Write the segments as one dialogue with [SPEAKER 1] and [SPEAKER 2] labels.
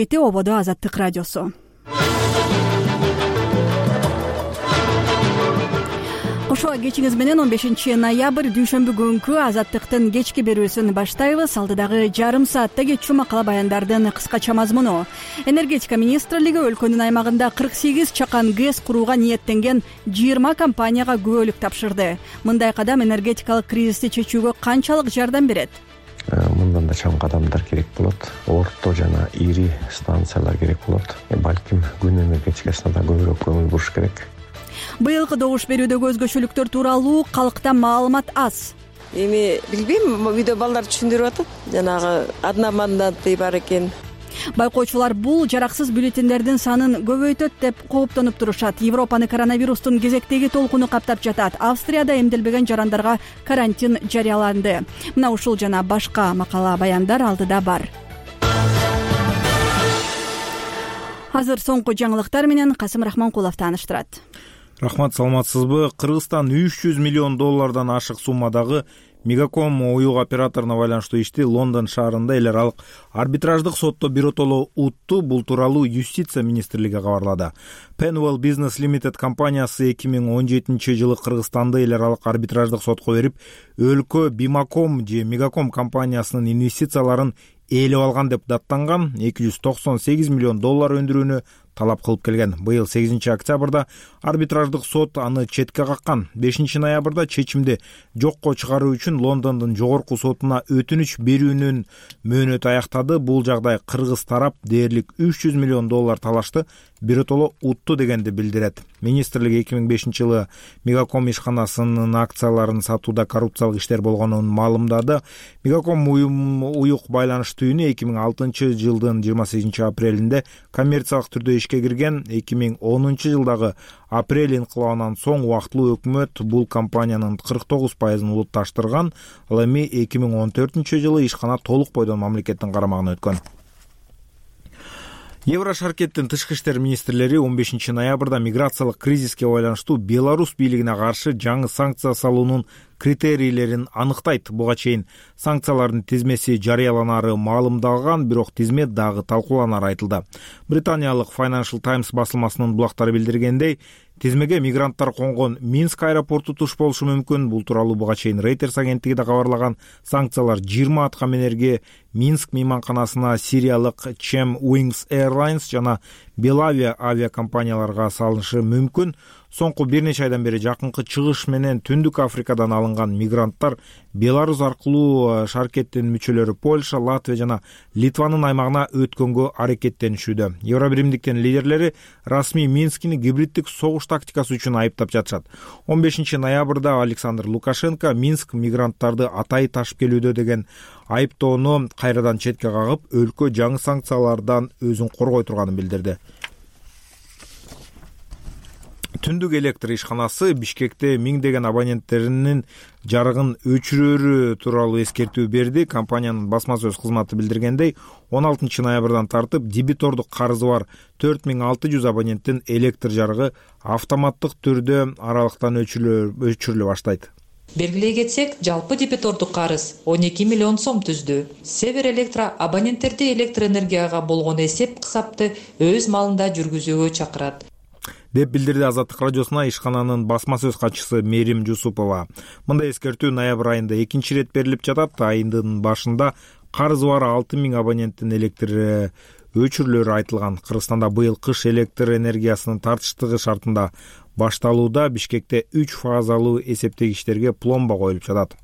[SPEAKER 1] Ободо Азаттык радиосу. Кошо кечиңиз менен 15 ноябрь дүйшөмбү күнкү Азаттыктын кечки берүүсүн баштайбыз. Алдыдагы жарым саатта кетчү макала баяндардын кыскача мазмуну. Энергетика министрлиги өлкөнүн аймагында 48 чакан ГЭС курууга ниеттенген 20 компанияга күбөлүк тапшырды. Мындай кадам энергетикалык кризисти чечүүгө канчалык жардам берет?
[SPEAKER 2] Мындан да чоң кадамдар керек болот. Орто жана ири станциялар керек болот. Балким күн энергетикасына да көбүрөөк көңүл буруш керек.
[SPEAKER 1] Быйылкы добуш берүүдөгү өзгөчөлүктөр тууралуу калкта маалымат аз.
[SPEAKER 3] Эми билбейм, үйдө балдар түшүндүрүп атат. Жанагы одномандатный бар экен.
[SPEAKER 1] Байкоочулар бул жараксыз бюллетендердин санын көбөйтөт деп кооптонуп турушат. Европаны коронавирустун кезектеги толкуну каптап жатат. Австрияда эмделбеген жарандарга карантин жарыяланды. Мына ушул жана башка макала баяндар алдыда бар. Азыр соңку жаңылыктар менен Касым Рахманкулов тааныштырат.
[SPEAKER 4] Рахмат, саламатсызбы? Кыргызстан 300 миллион доллардан ашык суммадагы Мегаком уюк операторуна байланыштуу ишти Лондон шаарында эл аралык арбитраждык сотто биротоло утту. Бул тууралуу Юстиция министрлиги кабарлады. Penwell Business Limited компаниясы 2017 жылы Кыргызстанды эл аралык арбитраждык сотко берип, өлкө Бимаком же Мегаком компаниясынын инвестицияларын ээлеп алган деп даттанган 298 миллион доллар өндүрүүнү талап кылып келген. Быйыл 8 октябрда арбитраждык сот аны четке каккан. 5 ноябрда чечимди жокко чыгаруу үчүн Лондондун жогорку сотуна өтүнүч берүүнүн мөөнөтү аяктады. Бул жагдай кыргыз тарап дээрлик 300 миллион доллар талашты биротоло утту дегенди билдирет. Министрлик 2005 жылы Мегаком ишканасынын акцияларын сатууда коррупциялык иштер болгонун маалымдады. Мегаком уюк байланыш түйүнү 2006 жылдын 28 апрелинде коммерциялык түрдө ишке кирген. 2010 жылдагы апрель инкылабынан соң убактылуу өкмөт бул компаниянын 49% улутташтырган. Ал эми 2014 жылы ишкана толук бойдон мамлекеттин карамагына өткөн. Еврошаркеттин тышкы иштер министрлери 15 ноябрда миграциялык кризиске байланыштуу Беларусь бийлигине каршы жаңы санкция салуунун критерийлерин аныктайт. Буга чейин санкциялардын тизмеси жарыяланары маалымдалган, бирок тизме дагы талкууланары айтылды. Британиялык Financial Times басылмасынын булактары билдиргендей, тизмеге мигранттар конгон Минск аэропорту туш болушу мүмкүн. Бул тууралуу буга чейин Reuters агенттиги да кабарлаган. Санкциялар 20 аткаминерге, Минск мейманканасына, сириялык Chem Wings Airlines жана Belavia авиакомпанияларга салынышы мүмкүн. Соңку бир нече айдан бери жакынкы чыгыш менен Түндүк Африкадан алынган мигранттар Беларусь аркылуу шаркеттин мүчөлөрү Польша, Латвия жана Литванын аймагына өткөнгө аракеттенишүүдө. Евробиримдиктин лидерлери расмий Минскини гибриддик согуш тактикасы үчүн айыптап жатышат. 15 ноябрда Александр Лукашенко Минск мигранттарды атайы ташып келүүдө деген айыптоону кайрадан четке кагып, өлкө жаңы санкциялардан өзүн коргой турганын билдирди. Түндүк электр ишканасы Бишкекте миңдеген абоненттеринин жарыгын өчүрөрү тууралуу эскертүү берди. Компаниянын басма сөз кызматы билдиргендей, 16 ноябрдан тартып дебитордук карызы бар 4600 абоненттин электр жарыгы автоматтык түрдө аралыктан өчүрүлө баштайт.
[SPEAKER 5] Белгилей кетсек, жалпы дебитордук карыз 12 миллион сом түздү. Север Электро абоненттерди электр энергияга болгон эсеп-кысапты өз малында жүргүзүүгө чакырат
[SPEAKER 4] деп билдирди Азаттык радиосуна ишкананын басма сөз катчысы Мерим Жусупова. Мындай эскертүү ноябрь айында 2 рет берилип жатат. Айдын башында карызы бар 6000 абоненттин электр өчүрүлөрү айтылган. Кыргызстанда быйыл кыш электр энергиясынын тартыштыгы шартында башталууда. Бишкекте 3 фазалуу эсептегичтерге пломба коюлуп жатат.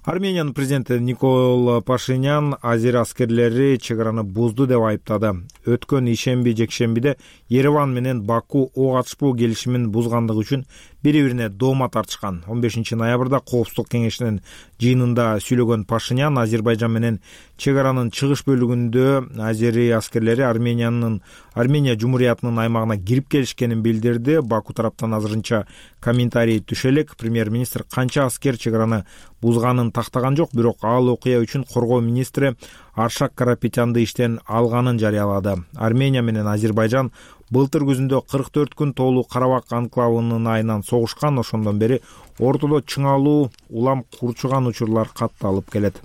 [SPEAKER 4] Армениянын президенти Никол Пашинян азер аскерлери чек араны бузду деп айыптады. Өткөн ишемби-жекшембиде Ереван менен Баку ок атышпоо келишимин бузгандыгы үчүн бири-бирине доoma тартышкан. 15 ноябрда Коопсуздук кеңешинин жыйынында сүйлөгөн Пашинян Азербайжан менен чек аранын чыгыш бөлүгүндө азери аскерлери Армения Жумуриятынын аймагына кирип келишкенин билдирди. Баку тараптан азырынча комментарий түшө элек. Премьер-министр канча аскер чек араны бузганын тактаган жок, бирок ал окуя үчүн коргоо министри Аршак Карапетянды иштен алганын жарыялады. Армения менен Азербайжан былтыр күзүндө 44 күн тоолуу Карабак анклавынын айынан согушкан. Ошондон бери ортодо чыңалуу улам курчуган учурлар катталып келет.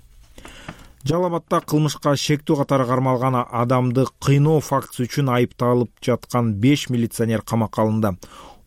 [SPEAKER 4] Жалал Абадта кылмышка шектүү катары кармалган адамды кыйноо фактысы үчүн айыпталып жаткан 5 милиционер камакка алынды.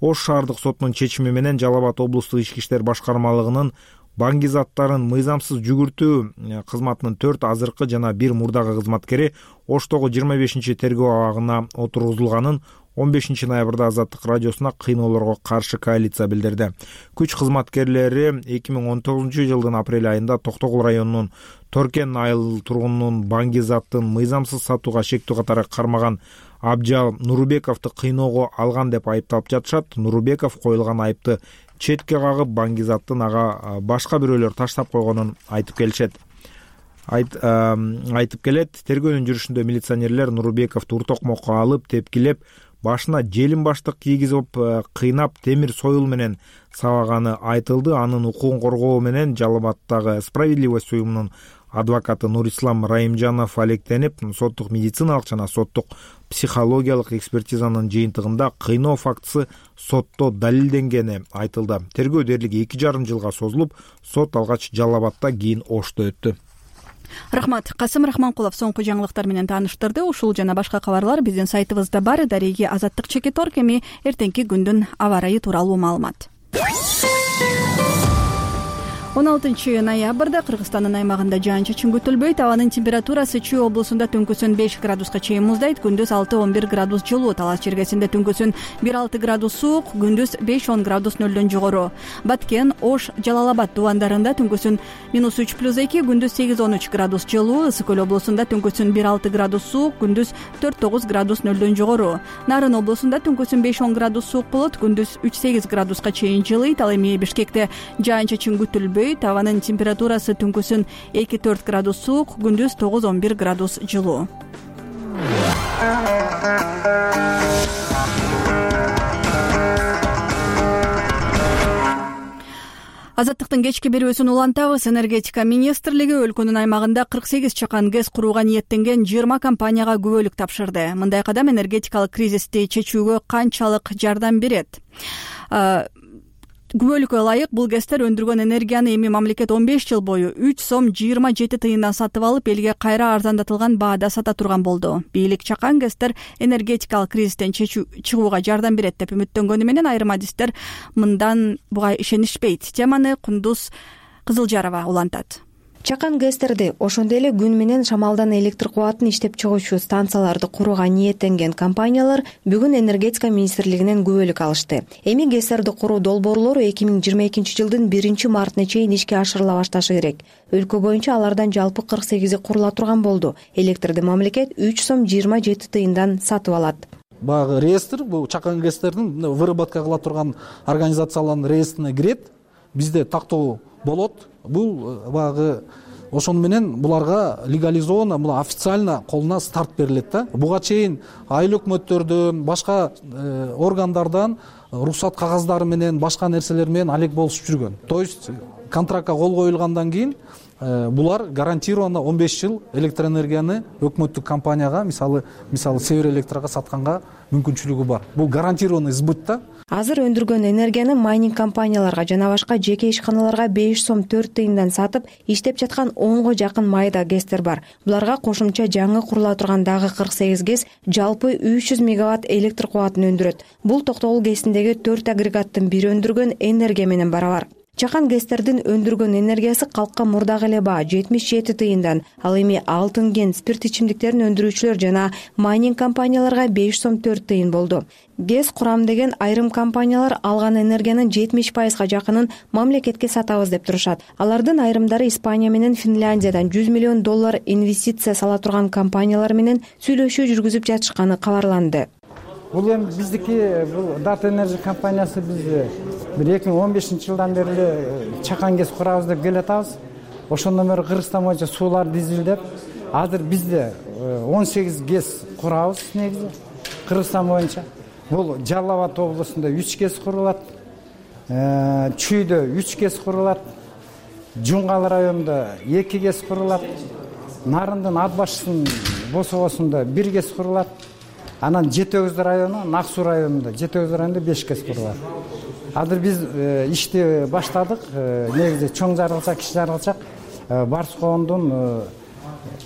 [SPEAKER 4] Ош шаардык сотунун чечими менен Жалал Абад облустук ички иштер башкармалыгынын банги заттарын мыйзамсыз жүгүртүү кызматынын 4 азыркы жана 1 мурдагы кызматкери Оштогу 25 тергөө абагына отургузулганын 15 ноябрда Азаттык радиосуна кыйноолорго каршы коалиция билдирди. Күч кызматкерлери 2019 жылдын апрель айында Токтогул районунун Торкен айыл тургунунун банги заттын мыйзамсыз сатууга шектүү катары кармаган Абжал Нурбековду кыйноого алган деп айыпталып жатышат. Нурбеков коюлган айыпты четке кагып, банги заттын ага башка бирөөлөр таштап койгонун айтып келет. Тергөөнүн жүрүшүндө милиционерлер Нурбековду уртокмокко алып, тепкилеп, башына желим баштык кийгизип, кыйнап, темир союл менен сабаганы айтылды. Анын укугун коргоо менен Жалал Абадтагы Справедливость уюмунун адвокаты Нурислам Райымжанов алектенип, соттук медициналык жана соттук психологиялык экспертизанын жыйынтыгында кыйноо фактысы сотто далилденгени айтылды. Тергөө дээрлик 2,5 жылга созулуп, сот алгач Жалал Абадта, кийин Ошто өттү.
[SPEAKER 1] Рахмат. Касым Рахманкулов соңку жаңылыктар менен тааныштырды. Ушул жана башка кабарлар биздин сайтыбызда бар. Дареги Азаттык-Чекиторг. Эми эртеңки күндүн аба ырайы тууралуу маалымат. 16 ноябрда Кыргызстандын аймагында жаан-чачын күтүлбөйт. Абанын температурасы Чүй облусунда түнкүсүн 5 градуска чейин муздайт, күндүз 6-11 градус жылуу. Талас чергесинде түнкүсүн 1-6 градус суук, күндүз 5-10 градус нөлдөн жогору. Баткен, Ош, Жалал Абад дубандарында түнкүсүн -3+2, күндүз 8-13 градус жылуу. Ысык көл облусунда түнкүсүн 1-6 градус суук, күндүз 4-9 градус нөлдөн жогору. Нарын облусунда түнкүсүн 5-10 градус суук болот, күндүз 3-8 градуска чейин жылыйт. Ал эми Бишкекте жаан-чачын күтүлбөйт. Абанын температурасы түнкүсүн 2-4 градус суук, күндүз 9-11 градус жылуу. Азаттыктын кечки берүүсүн улантабыз. Энергетика министрлиги өлкөнүн аймагында 48 чакан ГЭС курууга ниеттенген 20 компанияга күбөлүк тапшырды. Мындай кадам энергетикалык кризисти чечүүгө канчалык жардам берет? Күбөлүккө ылайык бул ГЭСтер өндүргөн энергияны эми мамлекет 15 жыл бою 3 сом 27 тыйындан сатып алып, элге кайра арзандатылган баада сата турган болду. Бийлик чакан ГЭСтер энергетикалык кризистен чыгууга жардам берет деп үмүттөнгөнү менен айрым адистер мындан буга ишенишпейт. Теманы Кундуз Кызылжарова улантат.
[SPEAKER 6] Чакан ГЭСтерди, ошондой эле күн менен шамалдан электр кубатын иштеп чыгуучу станцияларды курууга ниеттенген компаниялар бүгүн энергетика министрлигинен күбөлүк алышты. Эми ГЭСтерди куруу долбоорлору 2022 жылдын 1-мартына чейин ишке ашырыла башташы керек. Өлкө боюнча алардан жалпы 48 курула турган болду. Электрди мамлекет 3 сом 27 тыйындан сатып алат.
[SPEAKER 7] Багы реестр бул чакан ГЭСтердин выработка кыла турган организациялардын реестрине кирет. Бизде тактоо болот. Бул багы ошону менен буларга легализовано, бул официально колуна старт берилет да. Буга чейин айыл өкмөттөрдөн, башка органдардан уруксат кагаздары менен, башка нерселер менен алек болушуп жүргөн. То есть контрактка кол коюлгандан кийин булар гарантированно 15 жыл электроэнергияны өкмөттүк компанияга, мисалы Север Электрага сатканга мүмкүнчүлүгү бар. Бул гарантированный сбыт да.
[SPEAKER 6] Азыр өндүргөн энергияны майнинг компанияларга жана башка жеке ишканаларга 5 сом 4 тыйындан сатып, иштеп жаткан 10го жакын майда ГЭСтер бар. Буларга кошумча жаңы курула турган дагы 48 ГЭС жалпы 300 мегаватт электр кубатын өндүрөт. Бул Токтогул ГЭСиндеги 4 агрегаттын бири өндүргөн энергия менен барабар. Чакан ГЭСтердин өндүргөн энергиясы калкка мурдагы эле баа 77 тыйындан. Ал эми алтын кен, спирт ичимдиктерин өндүрүүчүлөр жана майнинг компанияларга 5 сом 4 тыйын болду. ГЭС курам деген айрым компаниялар алган энергиянын 70% жакынын мамлекетке сатабыз деп турушат. Алардын айрымдары Испания менен Финляндиядан $100 миллион инвестиция сала турган компаниялар менен сүйлөшүү жүргүзүп жатышканы кабарланды.
[SPEAKER 8] Бул эми биздики бул Data Energy компаниясы биз 2015 жылдан бери чакан ГЭС курабыз деп келатабыз. Ошондон бери Кыргызстан боюнча суулар дизилдеп, азыр бизде 18 ГЭС курабыз негизи Кыргызстан боюнча. Бул Жалал Абад облусунда 3 ГЭС курулат, Чүйдө 3 ГЭС курулат, Жунгал районунда 2 ГЭС курулат, Нарындын ат башынын босогосунда 1 ГЭС курулат. Анан Жетөгөз району, Нак-Суу районунда, Жетөгөз районунда 5 ГЭС курулат. Азыр биз ишти баштадык. Негизи чоң жарылчак, кичи жарылчак Барс коондун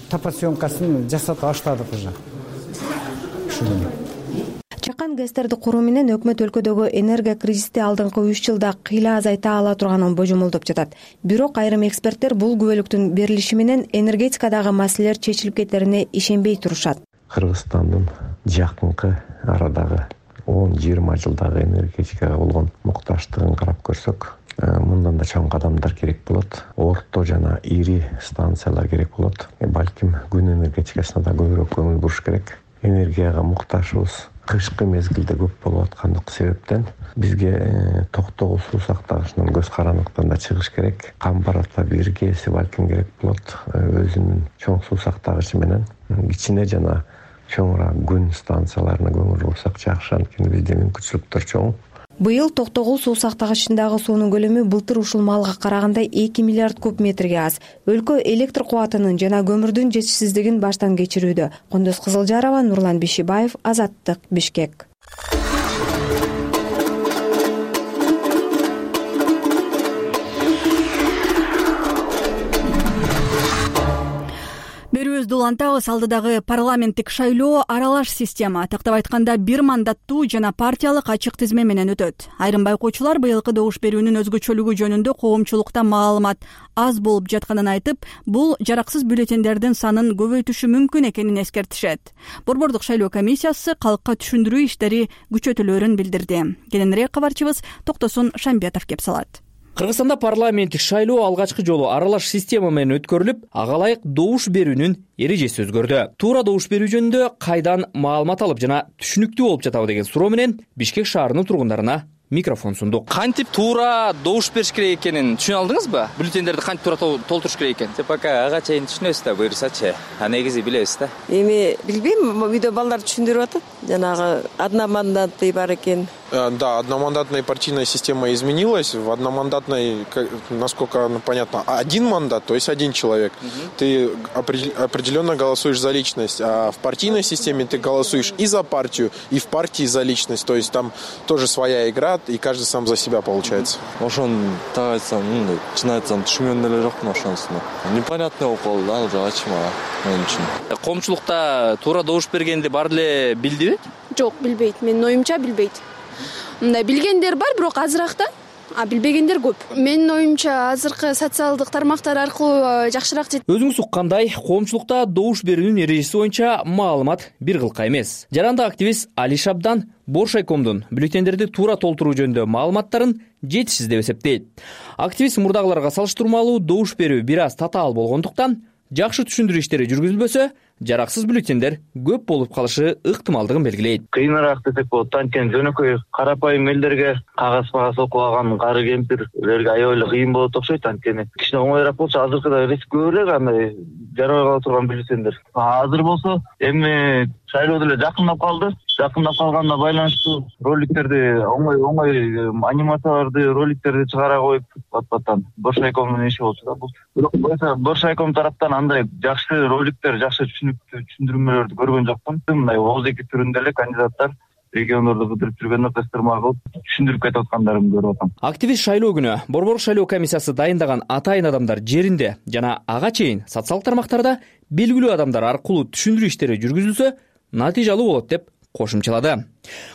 [SPEAKER 8] топосъемкасын жасап баштадык уже.
[SPEAKER 6] Чакан гэстерди куруу менен өкмөт өлкөдөгү энергия кризисти алдыңкы 3 жылда кыйла азайта ала турганын божомолдоп жатат. Бирок айрым эксперттер бул күбөлүктүн берилиши менен энергетикадагы маселелер чечилип кетерине ишенбей турушат.
[SPEAKER 2] Кыргызстандын жакынкы арадагы 10-20 жылдагы энергетикага болгон мукташтыгын карап көрсөк, мындан да чоң кадамдар керек болот. Орто жана ири станциялар керек болот. Балким күн энергетикасына да көбүрөөк көңүл буруш керек. Энергияга мукташыбыз кышкы мезгилде көп болуп аткандык себептен бизге токтогул суу сактагычынан көз карандыктан да чыгыш керек. Камбарата биргеси балким керек болот. Өзүнүн чоң суу сактагычы менен кичине жана чоңураак күн станцияларына көңүл бурсак жакшы, анткени бизде мүмкүнчүлүктөр чоң.
[SPEAKER 6] Быйыл токтогул суу сактагычындагы суунун көлөмү былтыр ушул маалга караганда 2 миллиард куб метрге аз. Өлкө электр кубатынын жана көмүрдүн жетишсиздигин баштан кечирүүдө. Кондос Кызылжарова, Нурлан Бишибаев, Азаттык, Бишкек.
[SPEAKER 1] Берүүбүздү улантабыз. Алдыдагы парламенттик шайлоо аралаш система, тактап айтканда бир мандаттуу жана партиялык ачык тизме менен өтөт. Айрым байкоочулар быйылкы добуш берүүнүн өзгөчөлүгү жөнүндө коомчулукта маалымат аз болуп жатканын айтып, бул жараксыз бюллетендердин санын көбөйтүшү мүмкүн экенин эскертишет. Борбордук шайлоо комиссиясы калкка түшүндүрүү иштери күчөтүлөөрүн билдирди. Кененирээк кабарчыбыз Токтосун Шамбетов кеп салат.
[SPEAKER 9] Кыргызстанда парламенттик шайлоо алгачкы жолу аралаш система менен өткөрүлүп, ага ылайык добуш берүүнүн эрежеси өзгөрдү. Туура добуш берүү жөнүндө кайдан маалымат алып жана түшүнүктүү болуп жатабы деген суроо менен Бишкек шаарынын тургундарына микрофон сундук. Кантип туура добуш бериш керек экенин түшүнө алдыңызбы? Бюллетендерди кантип туура толтуруш керек экен?
[SPEAKER 10] Пока ага чейин түшүнөбүз да, буюрсачы. А негизи билебиз да.
[SPEAKER 3] Эми билбейм, үйдө балдар түшүндүрүп атат. Жанагы одномандатный бар экен.
[SPEAKER 11] Да, одномандатная партийная система изменилась. В одномандатной, насколько понятно, один мандат, то есть один человек. Ты определенно голосуешь за личность. А в партийной системе ты голосуешь и за партию, и в партии за личность. То есть там тоже своя игра, и каждый сам за себя получается.
[SPEAKER 12] Ошон так айтсам, чын айтсам, түшүнгөн деле жокмун ошонусуна. Непонятный болуп калды да, уже ачыма мен үчүн.
[SPEAKER 9] Коомчулукта туура добуш бергенди бар деле билдиби?
[SPEAKER 13] Жок, билбейт. Менин оюмча билбейт. Мындай билгендер бар, бирок азыраак да, а билбегендер көп. Менин оюмча азыркы социалдык тармактар аркылуу жакшыраак.
[SPEAKER 9] Өзүңүз уккандай, коомчулукта добуш берүүнүн эрежеси боюнча маалымат бир кылка эмес. Жарандык активист Али Шабдан Боршайкомдун бюллетендерди туура толтуруу жөнүндө маалыматтарын жетишсиз деп эсептейт. Активист мурдагыларга салыштырмалуу добуш берүү бир аз татаал болгондуктан жакшы түшүндүрүү иштери жүргүзүлбөсө, жараксыз бюллетендер көп болуп калышы ыктымалдыгын белгилейт.
[SPEAKER 14] Кыйыныраак десек болот, анткени жөнөкөй карапайым элдерге кагаз окуп алган кары кемпирлерге аябай кыйын болот окшойт, анткени кичине оңоюраак болчу, азыркыда риск көп эле андай жарабай кала турган бюллетендер. Азыр болсо эми шайлоо деле жакындап калды. Жакындап калганына байланыштуу роликтерди оңой анимацияларды, роликтерди чыгара коюп пат-паттан Боршайкомдун иши болчу да бул. Бирок Боршайком тараптан андай жакшы роликтер, жакшы түшүндүрмөлөрдү көргөн жокмун. Мындай ооздеги түрүндө эле кандидаттар региондорду кыдырып жүргөндө кыстырма кылып түшүндүрүп кетип аткандарын көрүп атам.
[SPEAKER 9] Активист шайлоо күнү Борбордук шайлоо комиссиясы дайындаган атайын адамдар жеринде жана ага чейин социалдык тармактарда белгилүү адамдар аркылуу түшүндүрүү иштери жүргүзүлсө, натыйжалуу болот деп кошумчалады.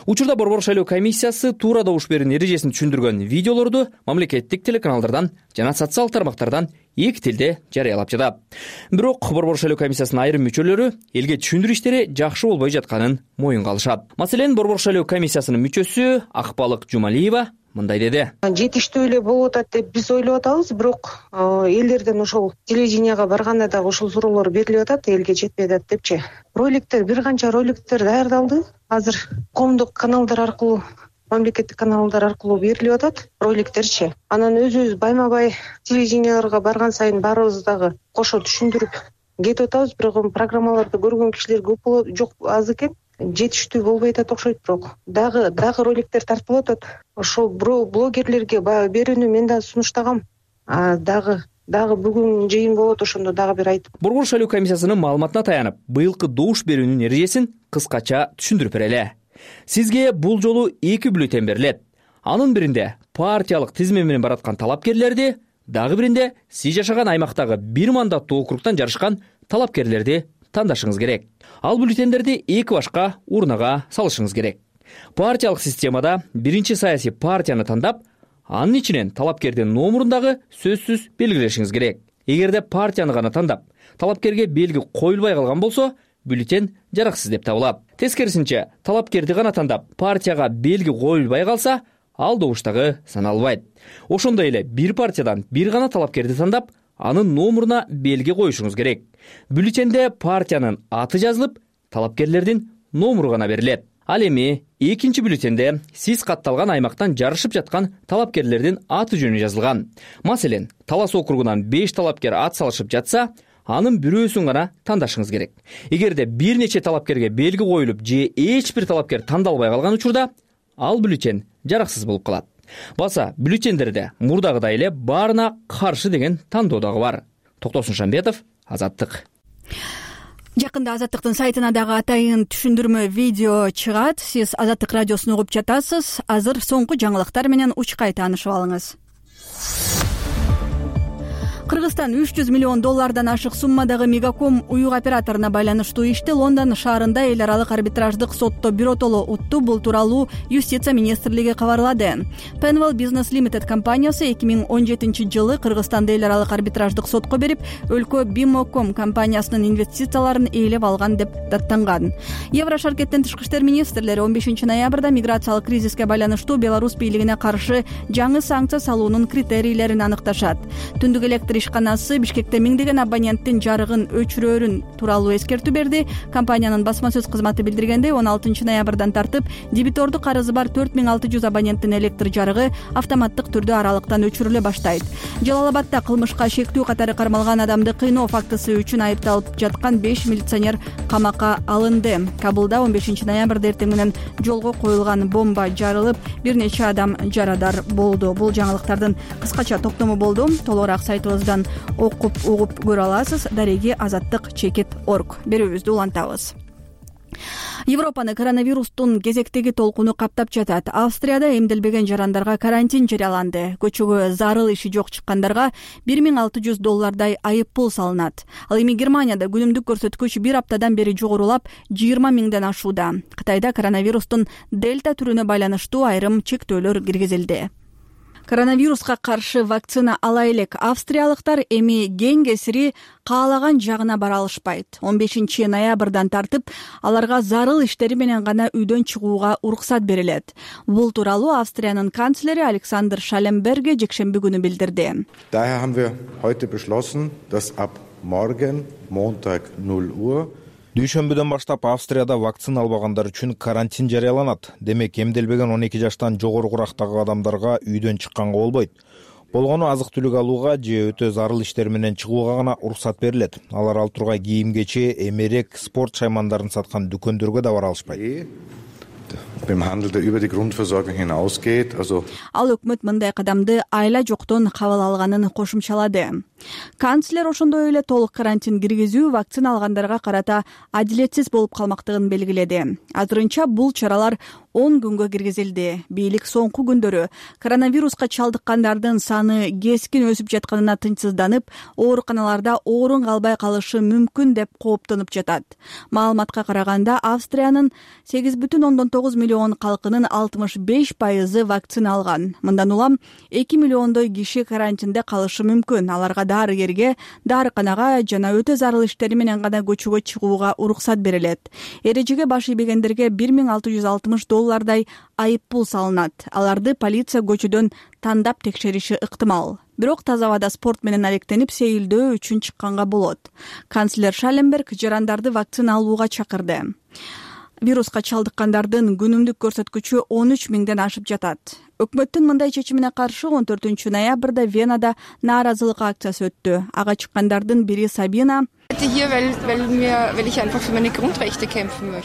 [SPEAKER 9] Учурда Борбордук шайлоо комиссиясы туура добуш берүүнүн эрежесин түшүндүргөн видеолорду мамлекеттик телеканалдардан жана социалдык тармактардан эки тилде жарыялап жатат. Бирок Борбордук шайлоо комиссиясынын айрым мүчөлөрү элге түшүндүрүү иштери жакшы болбой жатканын моюнга алышат. Маселен, Борбордук шайлоо комиссиясынын мүчөсү Акбалык Жумалиева мындай деди.
[SPEAKER 15] Жетиштүү эле болуп атат деп биз ойлоп атабыз, бирок элдерден ошол телевиденияга барганда дагы ушул суроолор берилип атат, элге жетпей атат депчи. Роликтер, бир канча роликтер даярдалды. Азыр коомдук каналдар аркылуу, мамлекеттик каналдар аркылуу берилип атат роликтерчи. Анан өзүбүз байма-бай телевиденияларга барган сайын баарыбыз дагы кошо түшүндүрүп кетип атабыз, бирок программаларды көргөн кишилер көп болот, жок аз экен. Жетиштүү болбой атат окшойт, бирок дагы роликтер тартылып атат. Ошол блогерлерге берүүнү мен да сунуштагам. Дагы бүгүн жыйын болот, ошондо дагы бир айтып.
[SPEAKER 9] Борбордук шайлоо комиссиясынын маалыматына таянып, быйылкы добуш берүүнүн эрежесин кыскача түшүндүрүп берели. Сизге бул жолу 2 бюллетен берилет. Анын биринде партиялык тизме менен бараткан талапкерлерди, дагы биринде сиз жашаган аймактагы бир мандаттуу округтан жарышкан талапкерлерди тандашыңыз керек. Ал бюллетендерди 2 башка урнага салышыңыз керек. Партиялык системада биринчи саясий партияны тандап, анын ичинен талапкердин номурун дагы сөзсүз белгилешиңиз керек. Эгерде партияны гана тандап, талапкерге белги коюлбай калган болсо, бюллетен жараксыз деп табылат. Тескерисинче, талапкерди гана тандап, партияга белги коюлбай калса, ал добуш дагы саналбайт. Ошондой эле бир партиядан бир гана талапкерди тандап, анын номуруна белги коюшуңуз керек. Бюллетенде партиянын аты жазылып, талапкерлердин номуру гана берилет. Ал эми экинчи бюллетенде сиз катталган аймактан жарышып жаткан талапкерлердин аты жөнү жазылган. Маселен, Талас округунан 5 талапкер ат салышып жатса, анын бирөөсүн гана тандашыңыз керек. Эгерде бир нече талапкерге белги коюлуп же эч бир талапкер тандалбай калган учурда, ал бюллетен жараксыз болуп калат. Баса бюллетендерде мурдагыдай эле баарына каршы деген тандоо дагы бар. Токтосун Шамбетов, Азаттык.
[SPEAKER 1] Жакында Азаттыктын сайтына дагы атайын түшүндүрмө видео чыгат. Сиз Азаттык радиосун угуп жатасыз. Азыр соңку жаңылыктар менен учкай таанышып алыңыз. Кыргызстан 300 миллион доллардан ашык суммадагы Мегаком уюк операторуна байланыштуу ишти Лондон шаарында эл аралык арбитраждык сотто биротоло утту. Бул тууралуу Юстиция министрлиги кабарлады. Penwell Business Limited компаниясы 2017-жылы Кыргызстанды эл аралык арбитраждык сотко берип, өлкө Bimocom компаниясынын инвестицияларын ээлеп алган деп даттанган. Еврошаркеттин тышкы иштер министрлери 15 ноябрда миграциялык кризиске байланыштуу Беларусь бийлигине каршы жаңы санкция салуунун критерийлерин аныкташат. Түндүк электр ишканасы Бишкекте миңдеген абоненттин жарыгын өчүрөрүн тууралуу эскертүү берди. Компаниянын басма сөз кызматы билдиргендей, 16 ноябрдан тартып дебитордук карызы бар 4600 абоненттин электр жарыгы автоматтык түрдө аралыктан өчүрүлө баштайт. Жалал-Абадда кылмышка шектүү катары кармалган адамды кыйноо фактысы үчүн айыпталып жаткан 5 милиционер камакка алынды. Кабулда 15 ноябрда эртең менен жолго коюлган бомба жарылып, бир нече адам жарадар болду. Бул жаңылыктардын кыскача топтому болду. Толугураак сайтыбыздан окуп угуп көрө аласыз. Дареги Азаттык.org берүүбүздү улантабыз. Европаны коронавирустун кезектеги толкуну каптап жатат. Австрияда эмделбеген жарандарга карантин жарыяланды. Көчөгө зарыл иши жок чыккандарга $1600 айып пул салынат. Ал эми Германияда күнүмдүк көрсөткүч бир аптадан бери жогорулап 20 миңден ашууда. Кытайда коронавирустун дельта түрүнө байланыштуу айрым чектөөлөр киргизилди. Коронавируска каршы вакцина ала элек. Австриялыктар эми кең кесири каалаган жагына бара алышпайт. 15 ноябрдан тартып аларга зарыл иштери менен гана үйдөн чыгууга уруксат берилет. Бул тууралуу Австриянын канцлери Александр Шалленберге жекшемби күнү билдирди.
[SPEAKER 16] Daher haben wir heute beschlossen, dass ab morgen Montag 0 Uhr
[SPEAKER 4] Дүйшөмбүдөн баштап Австрияда вакцина албагандар үчүн карантин жарыяланат. Демек, эмделбеген 12 жаштан жогору курактагы адамдарга үйдөн чыкканга болбойт. Болгону азык-түлүк алууга же өтө зарыл иштер менен чыгууга гана уруксат берилет. Алар ал тургай кийим-кече, эмерек, спорт шаймандарын саткан дүкөндөргө да бара алышпайт.
[SPEAKER 16] Beim Handel, der über die Grundversorgung hinausgeht, also
[SPEAKER 1] Ал өкмөт мындай кадамды айла жоктон кабыл алганын кошумчалады. Канцлер ошондой эле толук карантин киргизүү вакцина алгандарга карата адилетсиз болуп калмактыгын белгиледи. Азырынча бул чаралар 10 күнгө киргизилди. Бийлик соңку күндөрү коронавируска чалдыккандардын саны кескин өсүп жатканына тынчсызданып, ооруканаларда орун калбай калышы мүмкүн деп кооптонуп жатат. Маалыматка караганда, Австриянын 8,9 миллион калкынын 65% вакцина алган. Мындан улам 2 миллиондой киши карантинде калышы мүмкүн. Аларга дарыгерге, дарыканага жана өтө зарыл иштери менен гана көчөгө чыгууга уруксат берилет. Эрежеге баш ийбегендерге $1660 айып пул салынат. Аларды полиция көчөдөн тандап текшериши ыктымал. Бирок таза абада спорт менен алектенип сейилдөө үчүн чыкканга болот. Канцлер Шалленберг жарандарды вакцина алууга чакырды. Вируска чалдыккандардын күнүмдүк көрсөткүчү 13 миңден ашып жатат. Өкмөттүн мындай чечимине каршы 14 ноябрда Венада нааразылык акциясы өттү. Ага чыккандардын бири Сабина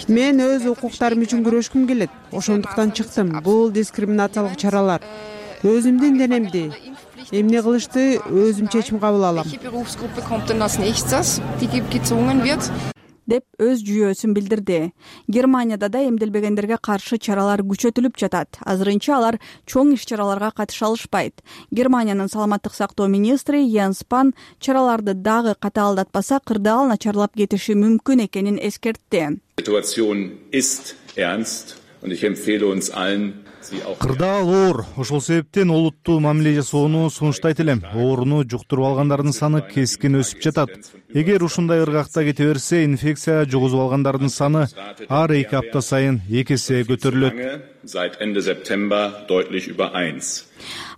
[SPEAKER 17] Мен өз укуктарым үчүн күрөшкүм келет. Ошондуктан чыктым. Бул дискриминациялык чаралар. Өзүмдүн денемди. Эмне кылышты өзүм чечим кабыл алам.
[SPEAKER 1] деп өз жүйөөсүн билдирди. Германияда да эмделбегендерге каршы чаралар күчөтүлүп жатат. Азырынча алар чоң иш-чараларга катыша алышпайт. Германиянын саламаттык сактоо министри Йенс Спан чараларды дагы катаалдатпаса кырдаал начарлап кетиши мүмкүн экенин эскертти.
[SPEAKER 18] Кырдаал оор. Ошол себептен олуттуу мамиле жасоону сунуштайт элем. Ооруну жуктуруп алгандардын саны кескин өсүп жатат. Эгер ушундай ыргакта кете берсе, инфекция жугузуп алгандардын саны ар 2 апта сайын 2 эсе көтөрүлөт.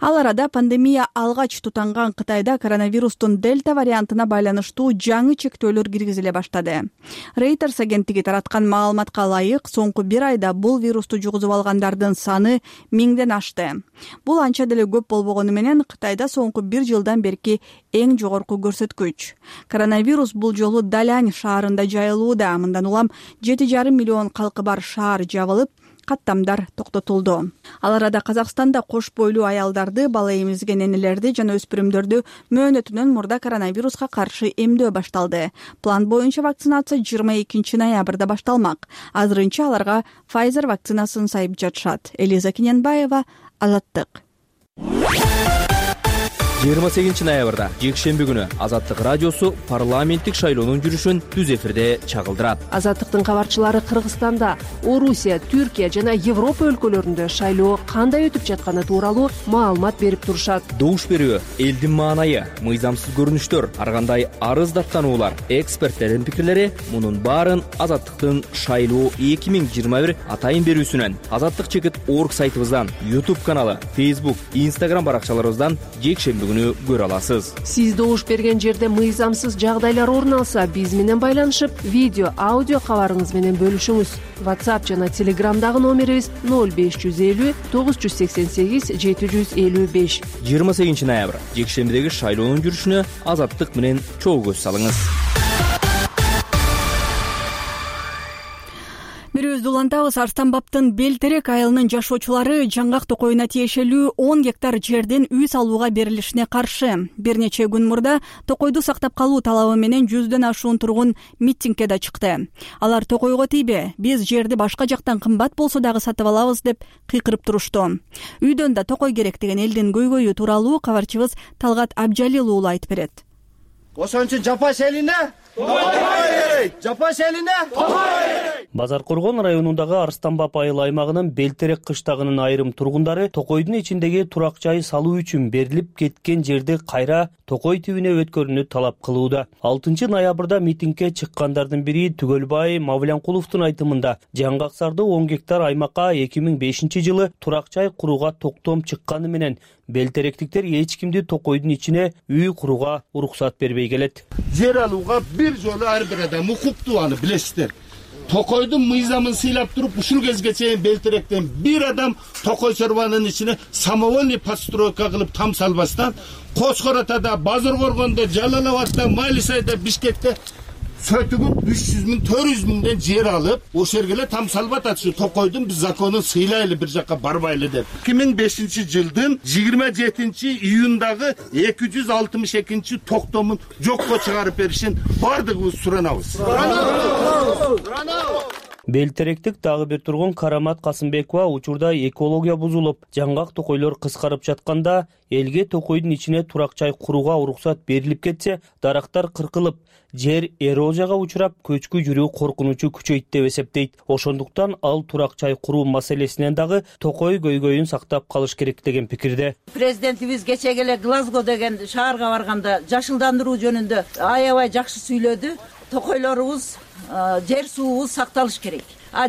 [SPEAKER 1] Ал арада пандемия алгач тутанган Кытайда коронавирустун дельта вариантына байланыштуу жаңы чектөөлөр киргизиле баштады. Reuters агенттиги тараткан маалыматка ылайык, соңку 1 айда бул вирусту жугузуп алгандардын саны 1000ден ашты. Бул анча деле көп болбогону менен Кытайда соңку 1 жылдан берки эң жогорку көрсөткүч. Коронавирус бул жолу Далянь шаарында жайылууда. Мындан улам 7,5 миллион калкы бар шаар жабылып, каттамдар токтотулду. Ал арада Казакстанда кош бойлуу аялдарды, бала эмизген энелерди жана өспүрүмдөрдү мөөнөтүнөн мурда коронавируска каршы эмдөө башталды. План боюнча вакцинация 22 ноябрда башталмак. Азырынча аларга Pfizer вакцинасын сайып жатышат. Элиза Кененбаева, Азаттык.
[SPEAKER 9] 28 ноябрда жекшемби күнү Азаттык радиосу парламенттик шайлоонун жүрүшүн түз эфирде чагылдырат.
[SPEAKER 19] Азаттыктын кабарчылары Кыргызстанда, Орусия, Түркия жана Европа өлкөлөрүндө шайлоо кандай өтүп жатканы тууралуу маалымат берип турушат.
[SPEAKER 9] Добуш берүү, элдин маанайы, мыйзамсыз көрүнүштөр, ар кандай арыз даттануулар, эксперттердин пикирлери — мунун баарын Азаттыктын шайлоо 2021 атайын берүүсүнөн, Азаттык.org сайтыбыздан, YouTube каналы, Facebook, Instagram баракчаларыбыздан жекшемби күнү көрө аласыз.
[SPEAKER 19] Сиз добуш берген жерде мыйзамсыз жагдайлар орун алса, биз менен байланышып, видео, аудио кабарыңыз менен бөлүшүңүз. WhatsApp жана Telegramдагы номерибиз 0550 988 755.
[SPEAKER 9] 28 ноябрь жекшембидеги шайлоонун жүрүшүнө Азаттык менен чогуу көз салыңыз.
[SPEAKER 1] Бирөөбүздү улантабыз. Арстанбаптын Белтерек айылынын жашоочулары жаңгак токойуна тиешелүү 10 гектар жерден үй салууга берилишине каршы. Бир нече күн мурда токойду сактап калуу талабы менен 100дөн ашуун тургун митингге да чыкты. Алар токойго тийбе, биз жерди башка жактан кымбат болсо дагы сатып алабыз деп кыйкырып турушту. Үйдөн да токой керек деген элдин көйгөйү тууралуу кабарчыбыз Талгат Абжалил уулу айтып берет.
[SPEAKER 20] Ошон үчүн жапаш элине жапаш элине
[SPEAKER 21] Базар Коргон районундагы Арстанбап айыл аймагынын Белтерек кыштагынын айрым тургундары токойдун ичиндеги турак жай салуу үчүн берилип кеткен жерди кайра токой түбүнө өткөрүүнү талап кылууда. 6 ноябрда митингге чыккандардын бири Түгөлбай Мавлянкуловдун айтымында жаңгаксарды 10 гектар аймакка 2005 жылы турак жай курууга токтом чыкканы менен белтеректиктер эч кимди токойдун ичине үй курууга уруксат бербей келет.
[SPEAKER 20] Жер алууга бир жолу ар бир адам укуктуу, аны билесиздер. Токойдун мыйзамын сыйлап туруп, ушул кезге чейин Белтеректен бир адам токой чорбанын ичине самовольный постройка кылып там салбастан, Кочкор Атада, Базар Коргондо, Жалал Абадта, Майлисайда, Бишкекте сөтүгүп 300 миң, 400 миңден жер алып, ошол жерге там салбат атышы токойдун биз законун сыйлайлы, бир жакка барбайлы деп. 2005 жылдын 27 июндагы 262 токтомун жокко чыгарып беришин бардыгыбыз суранабыз.
[SPEAKER 21] Белтеректик дагы бир тургун Карамат Касымбекова учурда экология бузулуп, жаңгак токойлор кыскарып жатканда элге токойдун ичине турак жай курууга уруксат берилип кетсе, дарактар кыркылып, жер эрозияга учурап, көчкү жүрүү коркунучу күчөйт деп эсептейт. Ошондуктан ал турак жай куруу маселесинен дагы токой көйгөйүн сактап калыш керек деген пикирде.
[SPEAKER 22] Президентибиз кечеге эле Глазго деген шаарга барганда жашылдандыруу жөнүндө аябай жакшы сүйлөдү. Токойлорубуз, жер суубуз сакталыш керек.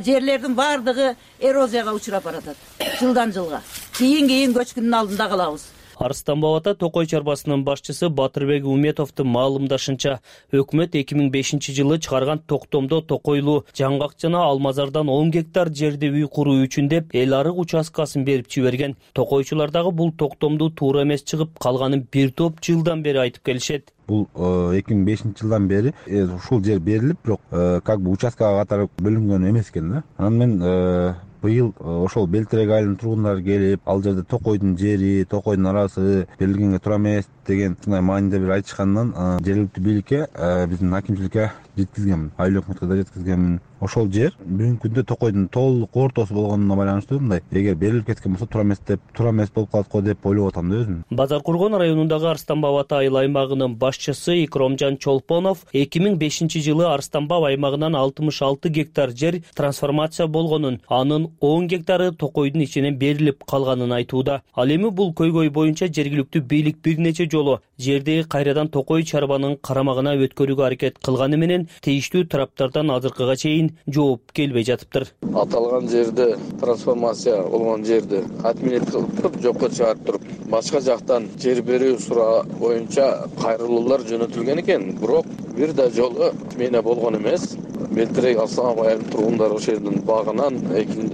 [SPEAKER 22] Жерлердин бардыгы эрозияга учурап баратат. Жылдан жылга. Кийин көчкүнүн алдында калабыз.
[SPEAKER 21] Арстанбабата токой чарбасынын башчысы Батырбек Уметовдун маалымдашынча, өкмөт 2005 жылы чыгарган токтомдо токойлуу жаңгак жана Алмазардан 10 гектар жерди үй куруу үчүн деп эл арык участкасын берип жиберген. Токойчулар дагы бул токтомду туура эмес чыгып, калганын бир топ жылдан бери айтып келишет.
[SPEAKER 5] бул 2005-жылдан бери ушул жер берилип, бирок как бы участкага катары бөлүнгөн эмес экен да. Анан мен быйыл ошол Белтерек айылынын тургундары келип, ал жерде Токойдун жери, Токойдун арасы берилгенге туура эмес деген ушундай мааниде бир айтышкандан жергиликтүү бийликке, биздин акимчиликке жеткизгенмин, айыл өкмөткө да жеткизгенмин. Ошол жер бүгүнкү күндө Токойдун толук ортосу болгонуна байланыштуу мындай эгер берилип кеткен болсо туура эмес болуп калат го деп ойлоп атам да өзүм.
[SPEAKER 21] Базар Кургон районундагы Арстанбап ата айыл аймагынын башчысы Икромжан Чолпонов 2005-жылы Арстанбап аймагынан 66 гектар жер трансформация болгонун, анын 10 гектары Токойдун ичинен берилип калганын айтууда. Ал эми бул көйгөй боюнча жергиликтүү бийлик бир нече жолу жерди кайрадан Токой чарбанын карамагына өткөрүүгө аракет кылганы менен тийиштүү тараптардан азыркыга чейин жооп келбей жатыптыр.
[SPEAKER 7] Аталган жерде трансформация болгон жерди отменить кылып жокко чыгарып туруп, башка жактан жер берүү суроо боюнча кайрылуулар жөнөтүлгөн экен. Бирок бир да жолу отмена болгон эмес. Белтерек Арстанбап айылынын тургундары ошол жердин багынан,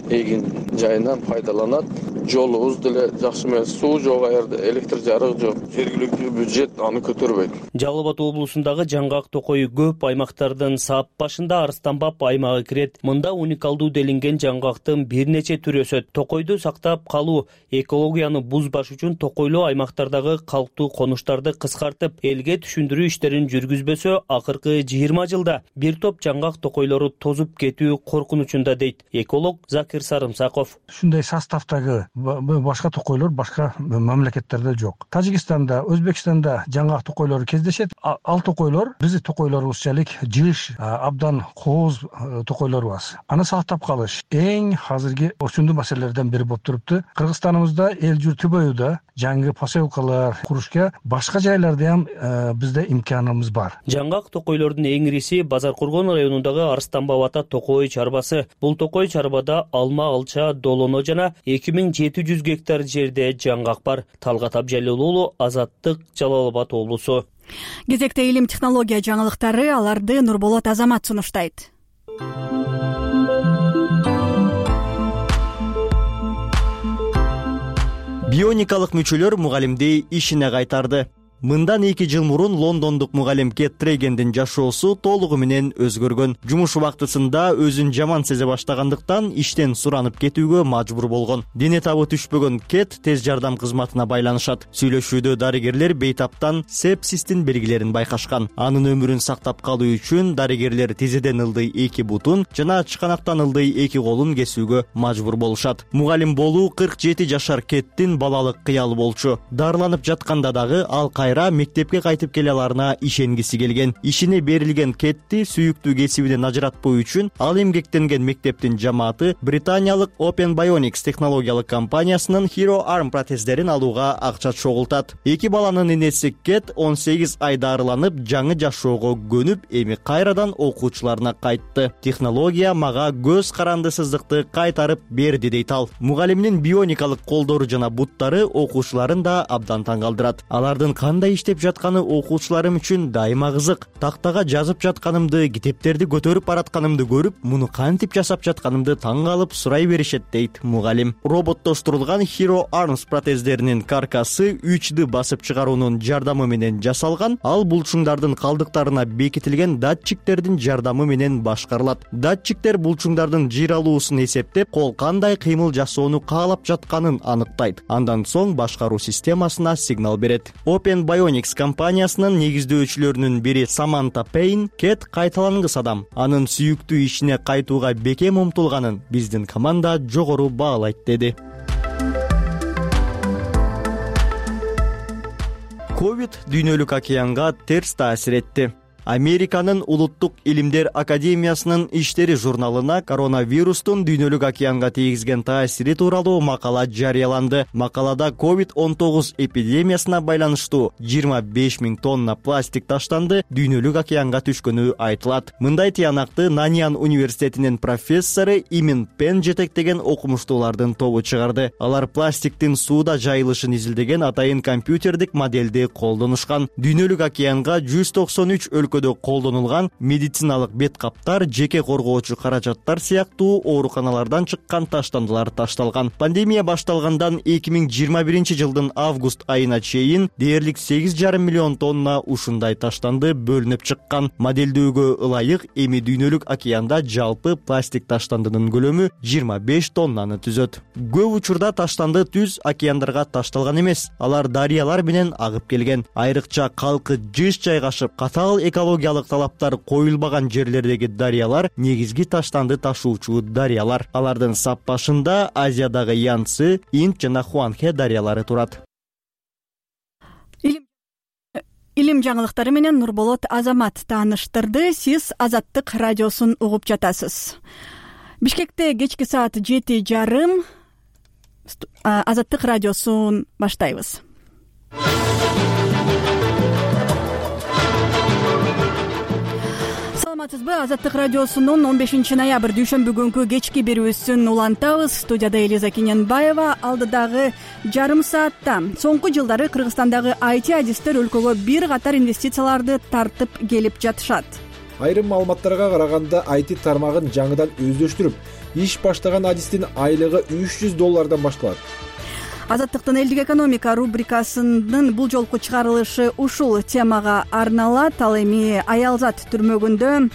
[SPEAKER 7] эгин жайынан пайдаланат. Жолубуз деле жакшы эмес, суу жок, аерде электр жарык жок. Жергиликтүү бюджет аны көтөрбөйт.
[SPEAKER 21] Жалал Абад облусундагы жаңгак Токой көп аймактардын сап башында Арстанбап аймагы кирет. Мында уникалдуу делинген жаңгактын бир нече түрү өсөт. Токойду сактап калуу, экологияны бузбаш үчүн Токойлуу аймактардагы калктуу конуштарды кыскартып, элге түшүндүрүү иштерин жүргүзбөсө, акыркы 20 жылда бир топ жаңгак Токойлору тозуп кетүү коркунучунда дейт эколог Закир Сарымсаков.
[SPEAKER 23] Ушундай составдагы башка Токойлор башка мамлекеттерде жок. Тажикстанда, Өзбекстанда жаңгак Токойлору кездешет. Ал Токойлор биздин Токойлорубузчалык жыш, абдан кооз Токойлорубуз. Аны сактап калыш эң азыркы очундуу маселелерден бири болуп турупту. Кыргызстаныбызда эл журту боюда жаңы поселкалар курушка башка жайларда ham бизде имканыбыз бар.
[SPEAKER 21] Жаңгак Токойлордун эң ириси Базар Кургон районундагы Арстанбап ата Токой чарбасы. Бул Токой чарбада алма, алча, долоно жана 2700 гектар жерде жаңгак бар. Талгат Абжалил уулу, Азаттык, Жалал Абад облусу.
[SPEAKER 1] Кезекте илим технология жаңылыктары, аларды Нурболот Азамат сунуштайт.
[SPEAKER 24] Бионикалык мүчөлөр мугалимди ишине кайтарды. Мындан 2 жыл мурун лондондук мугалим Кет Трегендин жашоосу толугу менен өзгөргөн. Жумуш убактысында өзүн жаман сезе баштагандыктан иштен суранып кетүүгө мажбур болгон. Дене табы түшпөгөн Кет тез жардам кызматына байланышат. Сүйлөшүүдө дарыгерлер бейтаптан сепсистин белгилерин байкашкан. Анын өмүрүн сактап калуу үчүн дарыгерлер тизеден ылдый 2 бутун жана чыканактан ылдый 2 колун кесүүгө мажбур болушат. Мугалим болуу 47 жашар Кеттин балалык кыялы болчу. Дарыланып жатканда дагы ал мектепке кайтып келе аларына ишенгиси келген. Ишине берилген Кетти сүйүктүү кесибинен ажыратпоо үчүн ал эмгектенген мектептин жамааты британиялык Open Bionics технологиялык компаниясынын Hero Arm протездерин алууга акча чогултат. 2 баланын энеси Кет 18 ай дарыланып, жаңы жашоого көнүп, эми кайрадан окуучуларына кайтты. Технология мага көз карандысыздыкты кайтарып берди дейт ал. Мугалимдин бионикалык колдору жана буттары окуучуларын да абдан таң калтырат. Алардын кандай иштеп жатканы окуучуларым үчүн дайыма кызык. Тактага жазып жатканымды, китептерди көтөрүп баратканымды көрүп, муну кантип жасап жатканымды таң калып сурай беришет дейт мугалим. Роботтоштурулган Hero Arms протездеринин каркасы 3D басып чыгаруунун жардамы менен жасалган. Ал булчуңдардын калдыктарына бекитилген датчиктердин жардамы менен башкарылат. Датчиктер булчуңдардын жыйралуусун эсептеп, кол кандай кыймыл жасоону каалап жатканын аныктайт. Андан соң башкаруу системасына сигнал берет. Open Bionics компаниясынын негиздөөчүлөрүнүн бири Саманта Пейн Кет кайталангыс адам. Анын сүйүктүү ишине кайтууга бекем умтулганын биздин команда жогору баалайт деди. Ковид дүйнөлүк океанга терс таасир этти. Американын Улуттук илимдер академиясынын иштери журналына коронавирустун дүйнөлүк океанга тийгизген таасири тууралуу макала жарыяланды. Макалада COVID-19 эпидемиясына байланыштуу 25 000 тонна пластик таштанды, дүйнөлүк океанга түшкөнү айтылат. Мындай тыянакты Нанян университетинин профессору Имин Пен жетектеген окумуштуулардын тобу чыгарды. Алар пластиктин сууда жайылышын изилдеген атайын компьютердик модельди колдонушкан. Дүйнөлүк океанга 193 өлкө өлкөдө колдонулган медициналык бет каптар, жеке коргоочу каражаттар сыяктуу ооруканалардан чыккан таштандылар ташталган. Пандемия башталгандан 2021-жылдын август айына чейин дээрлик 8,5 миллион тонна ушундай таштанды бөлүнүп чыккан. Моделдөөгө ылайык эми дүйнөлүк океанда жалпы пластик таштандынын көлөмү 25 тоннаны түзөт. Көп учурда таштанды түз океандарга ташталган эмес, алар дарыялар менен агып келген. Айрыкча калкы жыш жайгашып, катаал экологиялык талаптар коюлбаган жерлердеги дарыялар негизги таштанды ташуучу дарыялар. Алардын сап башында Азиядагы Янцзы, Инд жана Хуанхэ дарыялары турат.
[SPEAKER 1] Илим жаңылыктары менен Нурболот Азамат тааныштырды. Сиз Азаттык радиосун угуп жатасыз. Бишкекте кечки саат 7:30 Азаттык радиосун баштайбыз. Саламатсызбы? Азаттык радиосунун 15 ноябрь дүйшөмбү күнкү кечки берүүсүн улантабыз. Студияда Элиза Кененбаева. Алдыдагы жарым саатта соңку жылдары Кыргызстандагы IT адистер өлкөгө бир катар инвестицияларды тартып келип жатышат.
[SPEAKER 2] Айрым маалыматтарга караганда IT тармагын жаңыдан өздөштүрүп, иш баштаган адистин айлыгы $300 башталат.
[SPEAKER 1] Азаттыктын элдик экономика рубрикасынын бул жолку чыгарылышы ушул темага арналат. Ал эми Аялзат түрмөгүндө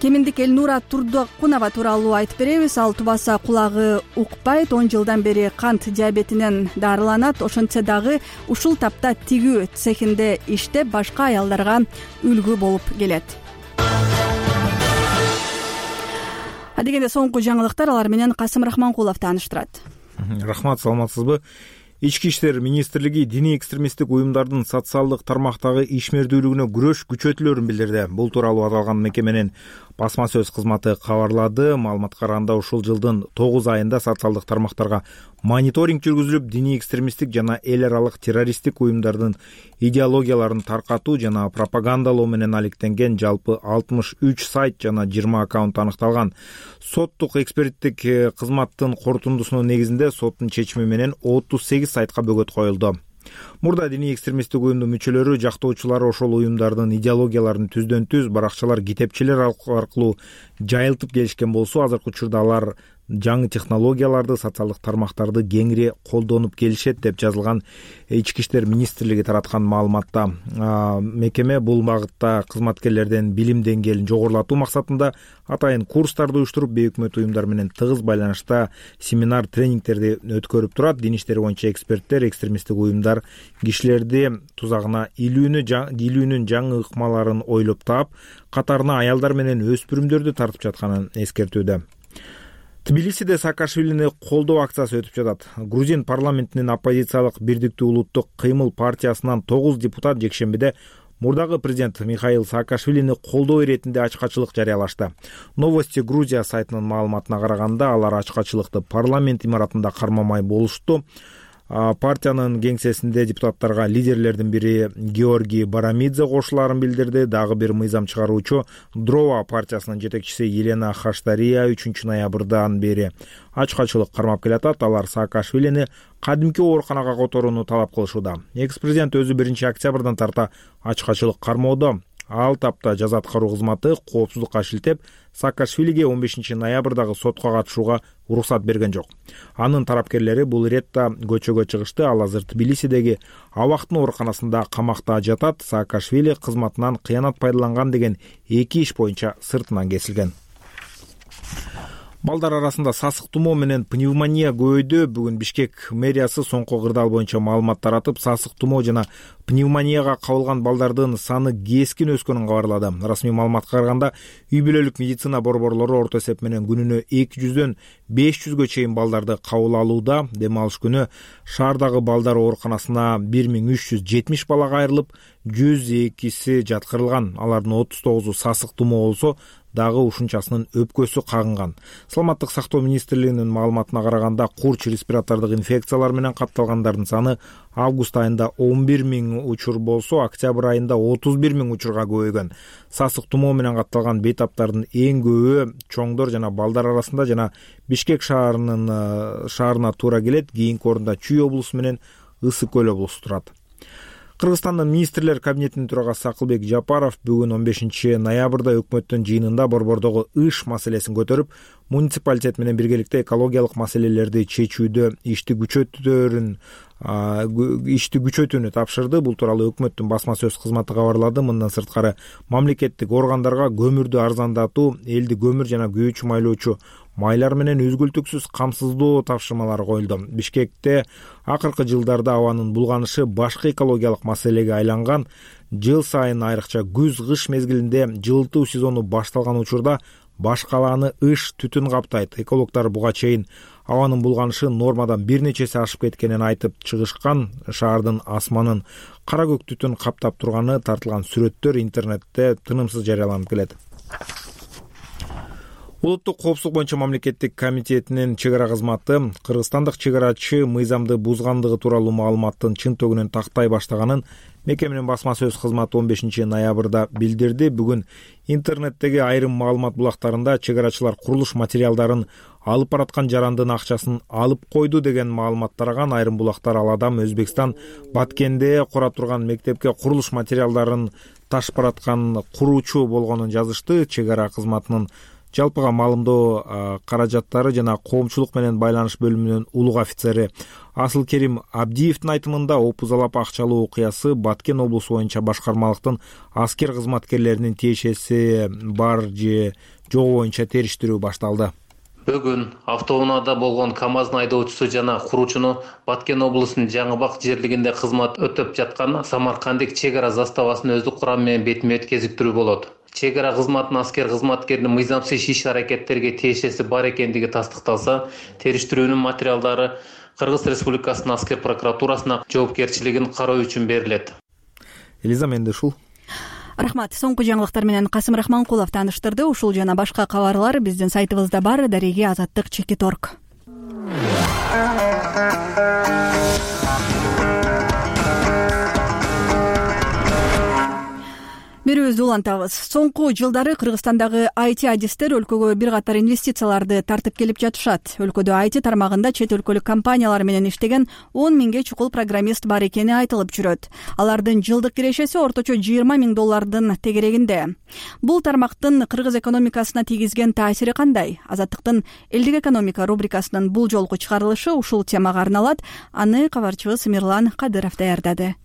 [SPEAKER 1] кеминдик Элнура Турдакунова тууралуу айтып беребиз. Ал тубаса кулагы укпайт, 10 жылдан бери кант диабетинен дарыланат. Ошентсе дагы ушул тапта тигүү цехинде иштеп башка аялдарга үлгү болуп келет. Адегенде соңку жаңылыктар, алар менен Касым Рахманкулов тааныштырат.
[SPEAKER 4] Рахмат, саламатсызбы? Ички иштер министрлиги диний экстремисттик уюмдардын социалдык тармактагы ишмердүүлүгүнө күрөш күчөтүлөрүн билдирди. Бул тууралуу аталган мекеменин басма сөз кызматы кабарлады. Маалыматка караганда ушул жылдын 9 айында социалдык тармактарга мониторинг жүргүзүлүп, диний экстремисттик жана эл аралык террористтик уюмдардын идеологияларын таркатуу жана пропагандалоо менен алектенген жалпы 63 сайт жана 20 аккаунт аныкталган. Соттук эксперттик кызматтын корутундусунун негизинде соттун чечими менен 38 сайтка бөгөт коюлду. Мурда диний экстремисттик уюмдун мүчөлөрү, жактоочулары ошол уюмдардын идеологияларын түздөн түз баракчалар, китепчелер аркылуу жайылтып келишкен болсо, азыркы учурда алар жаңы технологияларды, социалдык тармактарды кеңири колдонуп келишет деп жазылган Ички иштер министрлиги тараткан маалыматта. Мекеме бул багытта кызматкерлердин билим деңгээлин жогорулатуу максатында атайын курстарды уюштуруп, бейөкмөт уюмдар менен тыгыз байланышта семинар, тренингтерди өткөрүп турат. Дин иштери боюнча эксперттер экстремисттик уюмдар кишилерди тузагына илүүнүн жаңы ыкмаларын ойлоп таап, катарына аялдар менен өспүрүмдөрдү тартып жатканын эскертүүдө. Тбилисиде Саакашвилини колдоо акциясы өтүп жатат. Грузин парламентинин оппозициялык Бирдиктүү улуттук кыймыл партиясынан 9 депутат жекшембиде мурдагы президент Михаил Саакашвилини колдоо иретинде ачкачылык жарыялашты. Новости Грузия сайтынын маалыматына караганда, алар ачкачылыкты парламент имаратында кармамай болушту. Партиянын кеңсесинде депутаттарга лидерлердин бири Георгий Барамидзе кошулаарын билдирди. Дагы бир мыйзам чыгаруучу Дрова партиясынын жетекчиси Елена Хаштария 3 ноябрдан бери ачкачылык кармап келатат. Алар Саакашвилини кадимки ооруканага которууну талап кылышууда. Экс-президент өзү 1 октябрдан тарта ачкачылык кармоодо. Ал тапта жаза аткаруу кызматы коопсуздукка шилтеп, Саакашвилиге 15 ноябрдагы сотко катышууга уруксат берген жок. Анын тарапкерлери бул иретте көчөгө чыгышты. Ал азыр Тбилисидеги Абактын ооруканасында камакта жатат. Саакашвили кызматынан кыянат пайдаланган деген 2 иш боюнча сыртынан кесилген. Балдар арасында сасык тумоо менен пневмония көбөйдү. Бүгүн Бишкек мэриясы соңку кырдаал боюнча маалымат таратып, сасык тумоо жана пневмонияга кабылган балдардын саны кескин өскөнүн кабарлады. Расмий маалыматка караганда, үй бүлөлүк медицина борборлору орто эсеп менен күнүнө 200дөн 500гө чейин балдарды кабыл алууда. Дем алыш күнү шаардагы балдар ооруканасына 1370 бала кайрылып, 102си жаткырылган. Алардын 39у сасык тумоо болсо, дагы ушунчасынын өпкөсү кагынган. Саламаттык сактоо министрлигинин маалыматына караганда, курч респиратордук инфекциялар менен катталгандардын саны август айында 11.000 учур болсо, октябрь айында 31.000 учурга көбөйгөн. Сасык тумоо менен катталган бейтаптардын эң көбү чоңдор жана балдар арасында жана Бишкек шаарына туура келет. Кийинки орунда Чүй облусу менен Ысык көл облусу турат. Кыргызстандын министрлер кабинетинин төрагасы Акылбек Жапаров бүгүн 15 ноябрда өкмөттүн жыйынында борбордогу иш маселесин көтөрүп, муниципалитет менен биргеликте экологиялык маселелерди чечүүдө ишти күчөтүүнү тапшырды. Бул тууралуу өкмөттүн басма сөз кызматы кабарлады. Мындан сырткары мамлекеттик органдарга көмүрдү арзандатуу, элди көмүр жана күйүүчү майлоочу майлар менен үзгүлтүксүз камсыздоо тапшырмалары коюлду. Бишкекте акыркы жылдарда абанын булганышы башкы экологиялык маселеге айланган. Жыл сайын айрыкча күз-кыш мезгилинде жылытуу сезону башталган учурда баш калааны ыш түтүн каптайт. Экологдор буга чейин абанын булганышы нормадан бир нечеси ашып кеткенин айтып чыгышкан. Шаардын асманын кара көк түтүн каптап турганы тартылган сүрөттөр интернетте тынымсыз жарыяланып келет. Улуттук коопсуздук боюнча мамлекеттик комитетинин чек ара кызматы кыргызстандык чек арачы мыйзамды бузгандыгы тууралуу маалыматтын чын төгүнөн тактай баштаганын мекеменин басма сөз кызматы 15 ноябрда билдирди. Бүгүн интернеттеги айрым маалымат булактарында чек арачылар курулуш материалдарын алып бараткан жарандын акчасын алып койду деген маалымат тараган. Айрым булактар ал адам Өзбекстан Баткенде кура турган мектепке курулуш материалдарын ташып бараткан куруучу болгонун жазышты. Чек ара кызматынын жалпыга маалымдоо каражаттары жана коомчулук менен байланыш бөлүмүнүн улуг офицери Асылкерим Абдиевдин айтымында опузалап акчалуу окуясы Баткен облусу боюнча башкармалыктын аскер кызматкерлеринин тиешеси бар же жок боюнча териштирүү башталды.
[SPEAKER 3] Бүгүн автоунаада болгон КАМАЗдын айдоочусу жана куруучуну Баткен облусунун Жаңыбак жерлигинде кызмат өтөп жаткан Самаркандык чек ара заставасынын өздүк курамы менен бетме-бет кезиктирүү болот. Чек ара кызматынын аскер кызматкеринин мыйзамсыз иш-аракеттерге тиешеси бар экендиги тастыкталса, териштирүүнүн материалдары Кыргыз Республикасынын аскер прокуратурасына жоопкерчилигин кароо үчүн берилет.
[SPEAKER 4] Элиза Мендешул.
[SPEAKER 1] Рахмат. Соңку жаңылыктар менен Касым Рахманкулов тааныштырды. Ушул жана башка кабарлар биздин сайтыбызда бар. Дареги Азаттык.org. Берүүбүздү улантабыз. Соңку жылдары Кыргызстандагы IT адистер өлкөгө бир катар инвестицияларды тартып келип жатышат. Өлкөдө IT тармагында чет өлкөлүк компаниялар менен иштеген 10 миңге чукул программист бар экени айтылып жүрөт. Алардын жылдык кирешеси орточо $20,000 тегерегинде. Бул тармактын кыргыз экономикасына тийгизген таасири кандай? Азаттыктын элдик экономика рубрикасынын бул жолку чыгарылышы ушул темага арналат. Аны кабарчыбыз Мирлан Кадыров даярдады.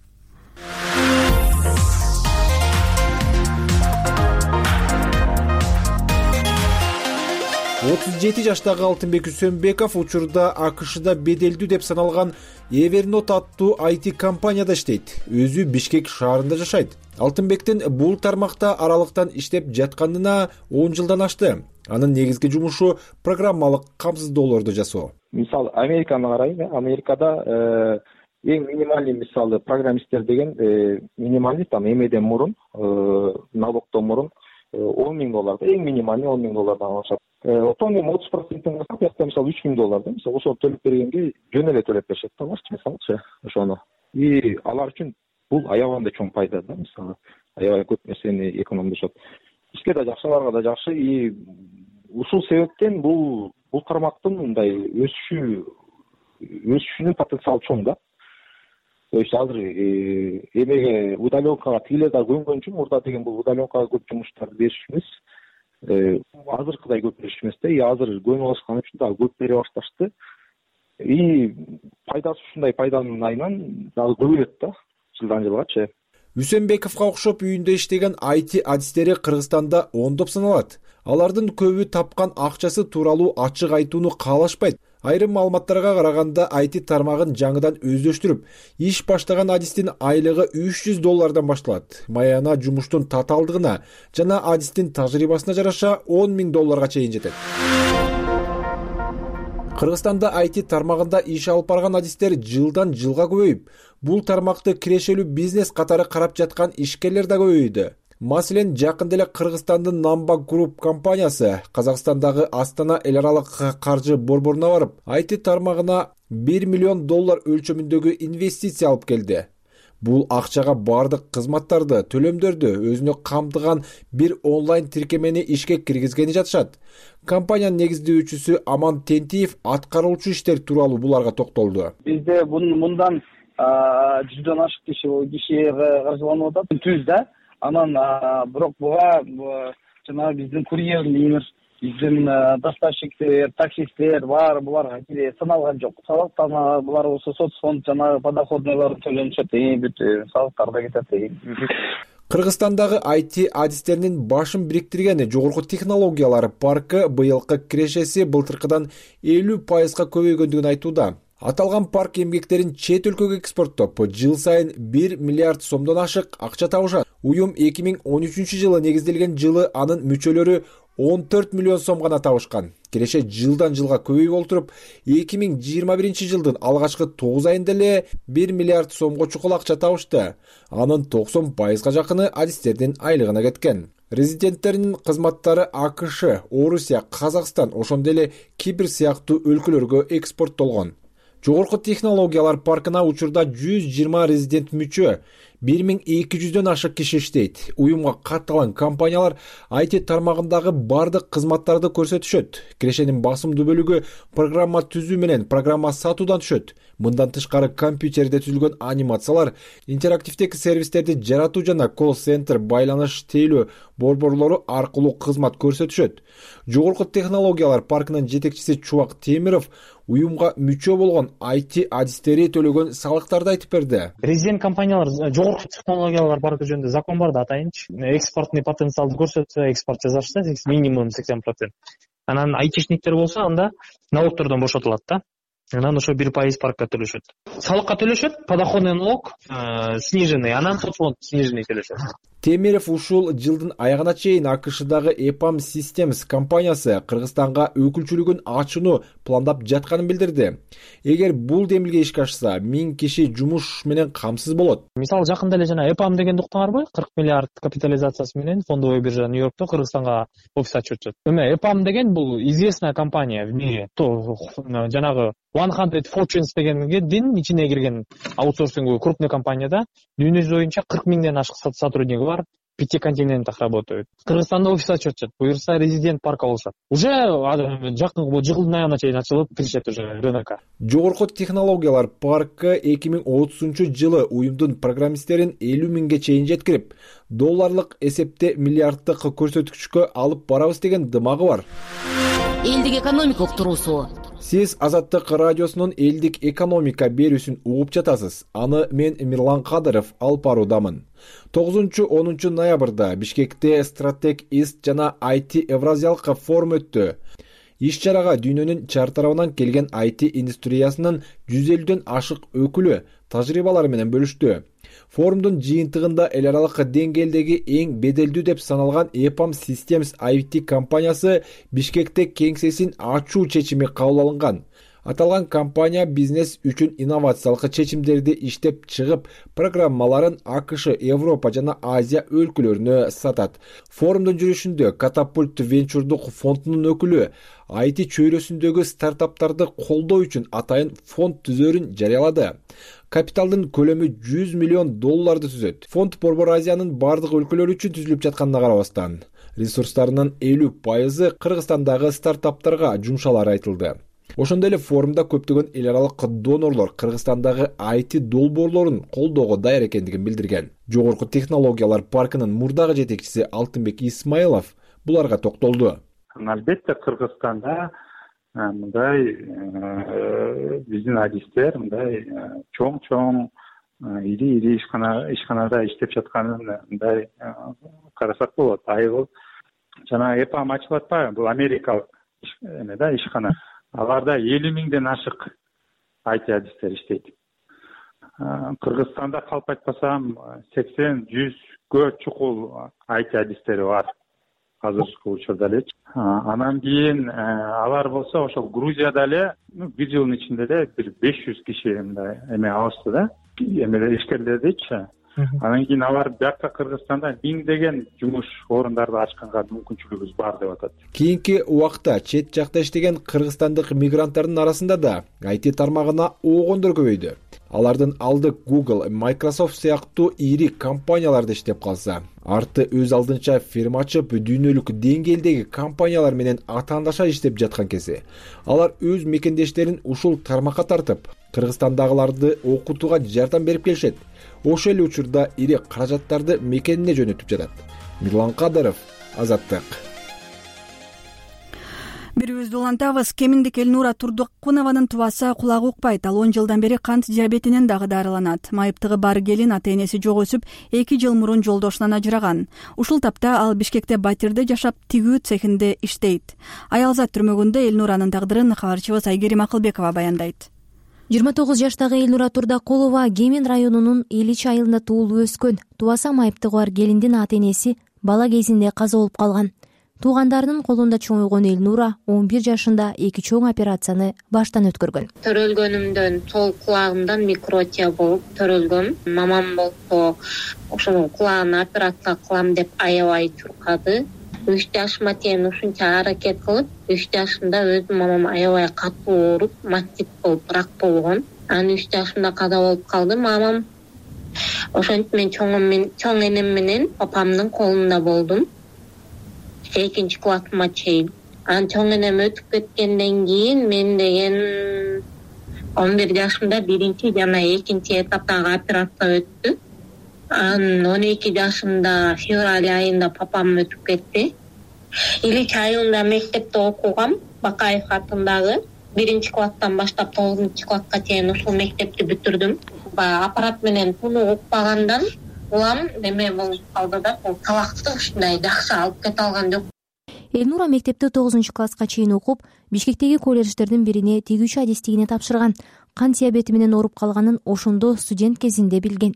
[SPEAKER 2] 37 жаштагы Алтынбек Үсөнбеков учурда АКШда беделдүү деп саналган Evernote аттуу IT компанияда иштейт. Өзү Бишкек шаарында жашайт. Алтынбектин бул тармакта аралыктан иштеп жатканына 10 жылдан ашты. Анын негизги жумушу программалык камсыздоолорду жасоо.
[SPEAKER 6] Мисалы, Американы карайм. Америкада эң минималдуу мисалы программисттер деген минималдуу там эмеден мурун, налогдон мурун $10,000, эң минималдуу $10,000 алышат. Отон эми 30%-ын кылсак, бияка мисалы $3,000, мисалы ошону төлөп бергенге жөн эле төлөп беришет да, мисалычы ошону. И алар үчүн бул аябай чоң пайда да, мисалы, аябай көп нерсени экономдошот. Бизге да жакшы, аларга да жакшы. И ушул себептен бул тармактын мындай өсүшүнүн потенциалы чоң да. То есть азыр эмеге удаленкага тигилер да көнгөн үчүн мурда деген бул удаленкага көп жумуштарды бериш эмес. Азыркыдай көп бериш эмес да. И азыр көнүп алышкан үчүн дагы көп бере башташты. И пайдасы ушундай пайданын айынан дагы көбөйөт да, жылдан жылгачы.
[SPEAKER 2] Үсөнбековго окшоп үйүндө иштеген IT адистери Кыргызстанда ондоп саналат. Алардын көбү тапкан акчасы тууралуу ачык айтууну каалашпайт. Айрым маалыматтарга караганда IT тармагын жаңыдан өздөштүрүп, иш баштаган адистин айлыгы $300 башталат. Маяна жумуштун татаалдыгына жана адистин тажрыйбасына жараша $10,000 чейин жетет. Кыргызстанда IT тармагында иш алып барган адистер жылдан жылга көбөйүп, бул тармакты кирешелүү бизнес катары карап жаткан ишкерлер да көбөйдү. Маселен, жакында эле Кыргызстандын Namba Group компаниясы Казакстандагы Астана эл аралык каржы борборуна барып, IT тармагына $1 миллион өлчөмүндөгү инвестиция алып келди. Бул акчага бардык кызматтарды, төлөмдөрдү өзүнө камтыган бир онлайн тиркемени ишке киргизгени жатышат. Компаниянын негиздөөчүсү Аман Тентиев аткаруучу иштер тууралуу буларга токтолду.
[SPEAKER 8] Бизде мындан 100дөн ашык киши каржыланып атат. Түз да. Анан бирок буга жанагы биздин курьерлер, биздин доставщиктер, таксисттер баары буларга кире саналган жок. Салыктан булар болсо соцфонд жанагы подоходнойлор төлөнүшөт, бүт салыктар да кетет.
[SPEAKER 2] Кыргызстандагы IT адистеринин башын бириктирген жогорку технологиялар паркы быйылкы кирешеси былтыркыдан 50% көбөйгөндүгүн айтууда. Аталган парк эмгектерин чет өлкөгө экспорттоп, жыл сайын 1 миллиард сомдон ашык акча табышат. Уюм 2013 жылы негизделген жылы анын мүчөлөрү 14 миллион сом гана табышкан. Киреше жылдан жылга көбөйүп олтуруп, 2021 жылдын алгачкы 9 айында эле 1 миллиард сомго чукул акча табышты. Анын 90% жакыны адистердин айлыгына кеткен. Резиденттеринин кызматтары АКШ, Орусия, Казакстан, ошондой эле Кипр сыяктуу өлкөлөргө экспорттолгон. Жогорку технологиялар паркына учурда 120 резидент мүчө, 1200дөн ашык киши иштейт. Уюмга катталган компаниялар IT тармагындагы бардык кызматтарды көрсөтүшөт. Кирешенин басымдуу бөлүгү программа түзүү менен программа сатуудан түшөт. Мындан тышкары компьютерде түзүлгөн анимациялар, интерактивдеги сервистерди жаратуу жана колл-центр байланыш тейлөө борборлору аркылуу кызмат көрсөтүшөт. Жогорку технологиялар паркынын жетекчиси Чубак Темиров уюмга мүчө болгон IT адистери төлөгөн салыктарды айтып берди.
[SPEAKER 10] Резидент компаниялар жогорку технологиялар паркы жөнүндө закон бар да, атайынчы. Экспортный потенциалды көрсөтсө, экспорт жасашса минимум 80%. Анан айтишниктер болсо анда налогтордон бошотулат да. Анан ошо 1% паркка төлөшөт. Салыкка төлөшөт, подоходный налог сниженный, анан соцфонд сниженный төлөшөт.
[SPEAKER 2] Темиров ушул жылдын аягына чейин АКШдагы EPAM Systems компаниясы Кыргызстанга өкүлчүлүгүн ачууну пландап жатканын билдирди. Эгер бул демилге ишке ашса, 1000 киши жумуш менен камсыз болот.
[SPEAKER 10] Мисалы жакында эле жана EPAM дегенди уктуңарбы? 40 миллиард капитализациясы менен фондовый биржа Нью-Йоркто Кыргызстанга офис ачып жатат. Эме EPAM деген бул известная компания в мире. Жанагы 100 Fortunes дегендин ичине кирген аутсорсинг крупный компанияда дүйнө жүзү боюнча 40 миңден ашык сотрудники бар, 5 континентах работают. Кыргызстанда офис ачып жатат. Буюрса резидент парка болушат. Уже жакын жылдын аягына чейин ачылып киришет уже рынокко.
[SPEAKER 2] Жогорку технологиялар паркы 2030 жылы уюмдун программисттерин 50 миңге чейин жеткирип, долларлык эсепте миллиарддык көрсөткүчкө алып барабыз деген дымагы бар.
[SPEAKER 11] Элдик экономика уктуруусу.
[SPEAKER 2] Сиз Азаттык радиосунун элдик экономика берүүсүн угуп жатасыз. Аны мен Мирлан Кадыров алып баруудамын. 9-10 ноябрда Бишкекте Стратег Ист жана IT Евразиялык форум өттү. Иш-чарага дүйнөнүн чар тарабынан келген IT индустриясынын 150дөн ашык өкүлү тажрыйбалары менен бөлүштү. Форумдун жыйынтыгында эл аралык деңгээлдеги эң беделдүү деп саналган EPAM Systems IT компаниясы Бишкекте кеңсесин ачуу чечими кабыл алынган. Аталган компания бизнес үчүн инновациялык чечимдерди иштеп чыгып, программаларын АКШ, Европа жана Азия өлкөлөрүнө сатат. Форумдун жүрүшүндө Катапульт венчурдук фондунун өкүлү IT чөйрөсүндөгү стартаптарды колдоо үчүн атайын фонд түзөрүн жарыялады. Капиталдын көлөмү $100 миллион түзөт. Фонд Борбор Азиянын бардык өлкөлөрү үчүн түзүлүп жатканына карабастан, ресурстарынын 50% Кыргызстандагы стартаптарга жумшалары айтылды. Ошондой эле форумда көптөгөн эл аралык донорлор Кыргызстандагы IT долбоорлорун колдоого даяр экендигин билдирген. Жогорку технологиялар паркынын мурдагы жетекчиси Алтынбек Исмаилов буларга токтолду.
[SPEAKER 12] Албетте Кыргызстанда мындай биздин адистер мындай чоң ири ишканада иштеп жатканын мындай карасак болот. Айыл жана EPAM ачылып атпайбы? Бул америкалык ишкана. Аларда 50 миңден ашык IT адистер иштейт. Кыргызстанда калп айтпасам 80-100гө чукул IT адистери бар азыркы учурда элечи. Анан кийин алар болсо ошол Грузияда эле бир жылдын ичинде эле бир 500 киши мындай алышты да, ишкерлердичи. Анан кийин алар бияка Кыргызстанда миңдеген жумуш орундарды ачканга мүмкүнчүлүгүбүз бар деп атат.
[SPEAKER 2] Кийинки убакта чет жакта иштеген кыргызстандык мигранттардын арасында да IT тармагына оогондор көбөйдү. Алардын алды Google, Microsoft сыяктуу ири компанияларда иштеп калса, арты өз алдынча фирма ачып, дүйнөлүк деңгээлдеги компаниялар менен атаандаша иштеп жаткан кези алар өз мекендештерин ушул тармакка тартып, Кыргызстандагыларды окутууга жардам берип келишет. Ошол эле учурда ири каражаттарды мекенине жөнөтүп жатат. Мирлан Кадыров, Азаттык.
[SPEAKER 1] Бирибизди улантабыз. Кеминдик Элнура Турдукунованын тубасы кулагы укпайт. Ал 10 жылдан бери кант диабетинен дагы дарыланат. Майыптыгы бар келин ата-энеси жок өсүп, 2 жыл мурун жолдошунан ажыраган. Ушул тапта ал Бишкекте батирде жашап, тигүү цехинде иштейт. Аялзат түрмөгүндө Элнуранын тагдырын кабарчыбыз Айгерим Акылбекова баяндайт.
[SPEAKER 13] 29 жаштагы Элнура Турдукулова Кемин районунун Илич айылында туулуп өскөн. Тубаса майыптыгы бар келиндин ата-энеси бала кезинде каза болуп калган. Туугандарынын колунда чоңойгон Элнура 11 жашында 2 чоң операцияны баштан өткөргөн.
[SPEAKER 14] Төрөлгөнүмдөн сол кулагымдан микротия болуп төрөлгөм. Мамам болсо ошонун кулагын операция кылам деп аябай чуркады. 3 жашыма чейин ушунча аракет кылып, 3 жашымда өзүм мамам аябай катуу ооруп, мастит болуп, рак болгон. Анан 3 жашымда каза болуп калды мамам. Ошентип мен чоң энем менен папамдын колунда болдум. 2 классыма чейин. Анан чоң энем өтүп кеткенден кийин мен деген 11 жашымда 1 жана 2 этаптагы операция өттү. Анан 12 жашымда февраль айында папам өтүп кетти. Илич айылында мектепте окугам, Бакаев атындагы 1 класстан баштап 9 класска чейин ушул мектепти бүтүрдүм. Аппарат менен тунук укпагандан улам неме болуп калды да, бул талакты ушундай жакшы алып кете алган жок.
[SPEAKER 13] Элнура мектепте 9 класска чейин окуп, Бишкектеги колледждердин бирине тигүүчү адистигине тапшырган. Кант диабети менен ооруп калганын ошондо студент кезинде билген.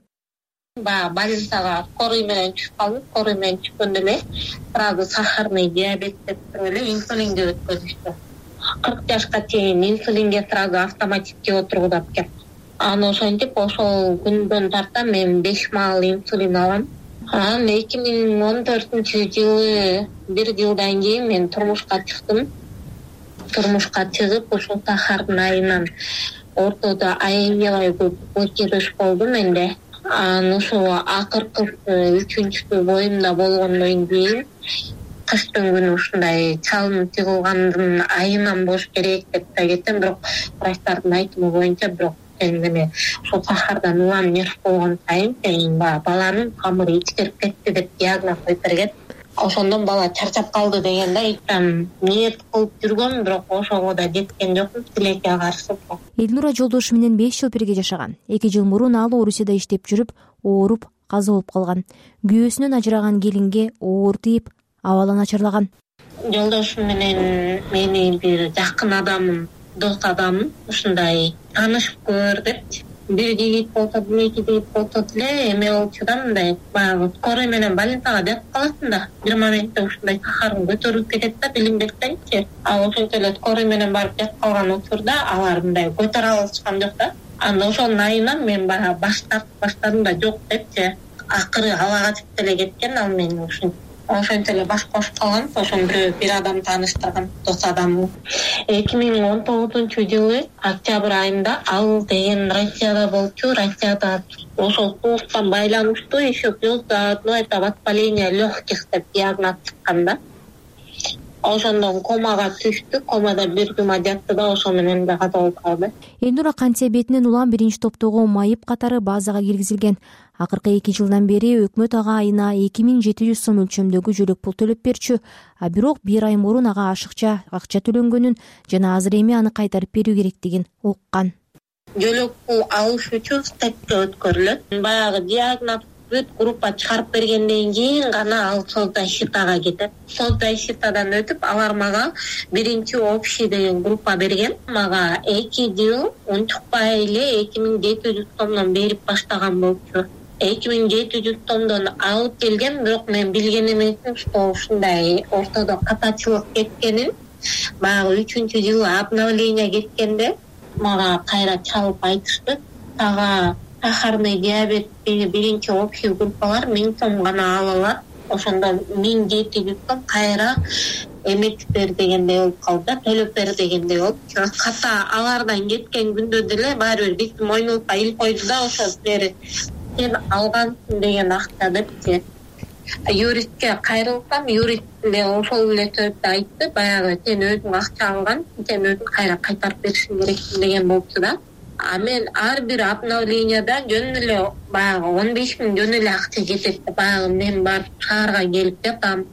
[SPEAKER 14] Больницага скорый менен түшүп калдым. Скорый менен түшкөндө эле сразу сахарный диабет деп эле инсулинге өткөзүштү. 40 жашка чейин инсулинге сразу автоматически отургузуп кетти. Анан ошентип ошол күндөн тарта мен 5 маал инсулин алам. Анан 2014-жылы 1 жылдан кийин мен турмушка чыктым. Турмушка чыгып, ушул сахардын айынан ортодо аябай көп өчүрүш болду менде. Анан ошол акыркы 3-чү боюмда болгондон кийин кыштын күнү ушундай чалым чыгылгандын айынан болуш керек деп да кеттим, бирок врачтардын айтымы боюнча бирок эми ошол сахардан улам нерв болгон сайын баланын камыры ичкирип кетти деп диагноз коюп берген. Ошондон бала чарчап калды дегенде ниет кылып жүргөм, бирок ошого да жеткен жокмун, тилекке каршы.
[SPEAKER 13] Элнура жолдошу менен 5 жыл бирге жашаган. 2 жыл мурун ал Орусияда иштеп жүрүп, ооруп, каза болуп калган. Күйөөсүнөн ажыраган келинге оор тийип, абалы начарлаган.
[SPEAKER 14] Жолдошум менен мени бир жакын адамым, дос адамым ушундай таанышып көр депчи. Бир жигит болсо, 2 жигит болсо деле эме болчу да, мындай баягы скорый менен больницага жатып каласың да. Бир моментте ушундай сахарың көтөрүлүп кетет да, билинбестенчи. Ошентип эле скорый менен барып жатып калган учурда алар мындай көтөрө алышкан жок да. Анан ошонун айынан мен баягы баштадым да жок депчи. Акыры ала качып деле кеткен ал мени ошентип эле баш кошуп калган. Ошон бир адам тааныштырган, дос адамым. 2019-жылы октябрь айында ал деген Россияда болчу. Россияда ошол сууктан байланыштуу еще плюс это воспаление легких деп диагноз чыккан да. Ошондон комага түштү. Комада 1 жума жатты да, ошо менен да каза болуп калды.
[SPEAKER 13] Элнура кант диабетинен улам 1-топтогу майып катары базага киргизилген. Акыркы 2 жылдан бери өкмөт ага айына 2700 сом өлчөмдөгү жөлөк пул төлөп берчү. Бирок 1 ай мурун ага ашыкча акча төлөнгөнүн жана азыр эми аны кайтарып берүү керектигин уккан.
[SPEAKER 14] Жөлөк пул алыш үчүн стекке өткөрүлөт. Баягы диагноз бүт группа чыгарып бергенден кийин гана ал соцзащитага кетет. Соцзащитадан өтүп алар мага 1 общий деген группа берген. Мага 2 жыл унчукпай эле 2700 сомдон берип баштаган болчу. 2700 сомдон алып келген, бирок мен билген эмесмин, что ушундай ортодо катачылык кеткенин. Баягы 3-жылы обновление кеткенде мага кайра чалып айтышты. Сахарный диабет 1 общий группалар 1000 сом гана алалар. Ошондо 1700 сом кайра эметип бер дегендей болуп калды да, төлөп бер дегендей болуп. Ката алардан кеткен күндө деле баары бир биз мойнубузга илип койду да, ошо бери сен алгансың деген акча депчи. Юристке кайрылсам, юрист эле ошол эле сөздү айтты, баягы сен өзүң акча алган, сен өзүң кайра кайтарып беришиң керексиң деген болчу да. А мен ар бир обновленияда жөн эле баягы 15 000 жөн эле акча кетет. Баягы мен барып шаарга келип жатам,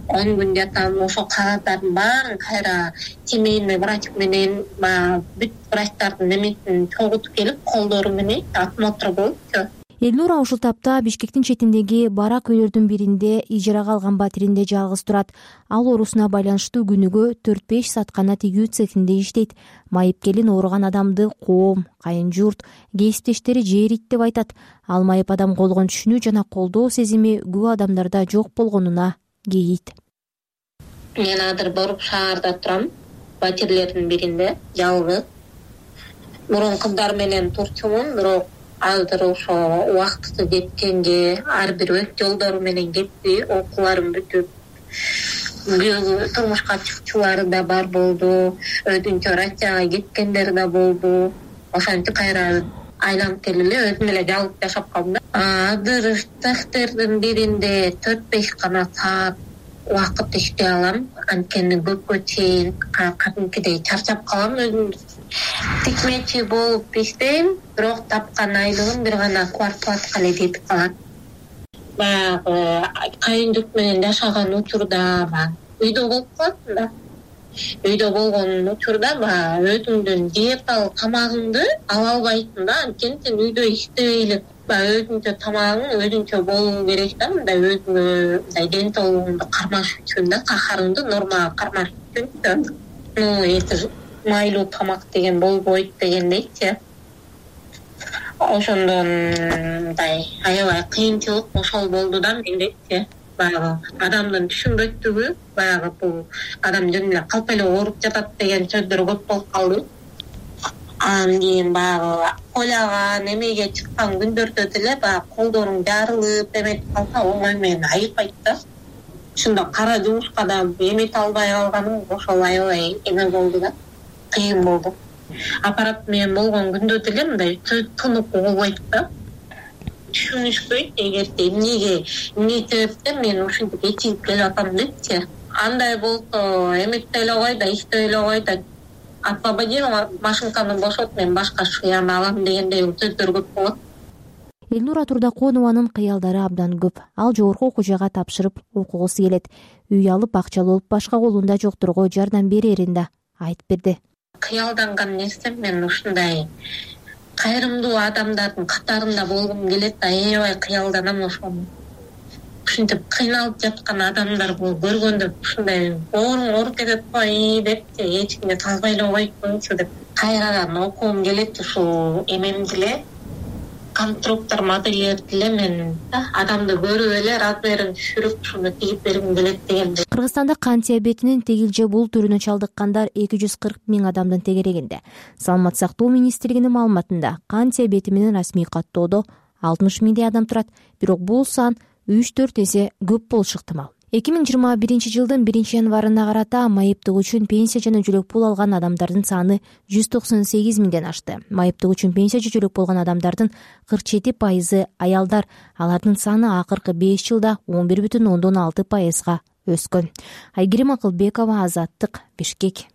[SPEAKER 14] 10 күн жатам, ошо кагаздардын баарын кайра семейный врач менен баягы бүт врачтардын немесин чогултуп келип, колдору менен осмотр болупчу.
[SPEAKER 13] Элнура ушул тапта Бишкектин четиндеги барак үйлөрдүн биринде ижарага алган батиринде жалгыз турат. Ал оорусуна байланыштуу күнүгө 4-5 саат гана тигүү цехинде иштейт. Майыпкелин ооруган адамды коом, кайын журт, кесиптештери жээрийт деп айтат. Ал майып адам болгон түшүнүү жана колдоо сезими көп адамдарда жок болгонуна кейийт.
[SPEAKER 14] Мен азыр Боруп шаарда турам, батирлердин биринде жалгыз. Мурун кыздар менен турчумун, бирок азыр ошо убактысы жеткенде ар бир өз жолдору менен кетти, окууларын бүтүп, турмушка чыкчулары да бар болду, өзүнчө Россияга кеткендер да болду. Ошентип кайра айланып келип эле өзүм эле жалгыз жашап калдым. Азыр цехтердин биринде 4-5 гана саат убакыт иштей алам, анткени көпкө чейин кадимкидей чарчап калам. Өзүм тикмечи болуп иштейм, бирок тапкан айлыгым бир гана квартплатка эле жетип калат. Баягы кайын журт менен жашаган учурда үйдө болуп каласың да. Үйдө болгон учурда өзүңдүн диеталык тамагыңды ала албайсың да, анткени сен үйдө иштебей эле өзүнчө тамагың өзүнчө болуу керек да, мындай өзүңө мындай ден соолугуңду кармаш үчүн да, кахарыңды нормага кармаш үчүн. Майлуу тамак деген болбойт дегендейчи. Ошондон мындай аябай кыйынчылык ошол болду да мендечи. Баягы адамдын түшүнбөстүгү, баягы бул адам жөн эле калп эле ооруп жатат деген сөздөр көп болуп калды. Анан кийин баягы койлаган эмеге чыккан күндөрдө деле баягы колдоруң жарылып эметип калса, оңой менен айыкпайт да. Ушунда кара жумушка да эмете албай калганым ошол аябай эме болду да. Кыйын болду. Аппарат менен болгон күндө деле мындай тынып болбойт да. Түшүнүшпөйт, эгерде эмне себептен мен ушинтип эчигип келип атам депчи. Андай болсо эметте эле кой да, иштеп эле кой да, освободил машинканы бошот, мен башка шыяны алам дегендей сөздөр көп болот.
[SPEAKER 13] Элнура Турдаконованын кыялдары абдан көп. Ал жогорку окуу жайга тапшырып окугусу келет. Үй алып акчалуу болуп башка колунда жокторго жардам берерин да айтып берди.
[SPEAKER 14] Кыялданган нерсем мен ушундай кайрымдуу адамдардын катарында болгум келет да, аябай кыялданам ошону. Ушинтип кыйналып жаткан адамдарды көргөндө ушундай ооруп кетет го депчи, эч кимге салбай эле койчу деп кайрадан окугум келет. Ушул эмемди эле, конструктор модельерди эле мен адамды көрүп эле размерин түшүрүп ушуну тигип бергим келет дегенде.
[SPEAKER 13] Кыргызстанда кант диабетинин тегил же бул түрүнө чалдыккандар 240 000 адамдын тегерегинде. Саламат сактоо министрлигинин маалыматында кант диабети менен расмий каттоодо 60 000 адам турат, бирок бул сан 3-4 эсе көп болушу ыктымал. 2021 жылдын 1-январына карата майыптык үчүн пенсия жана жөлөк пул алган адамдардын саны 198 000ден ашты. Майыптык үчүн пенсия же жөлөк болгон адамдардын 47% аялдар, алардын саны акыркы 5 жылда 11,6%га өскөн. Айгерим Акылбекова, Азаттык, Бишкек.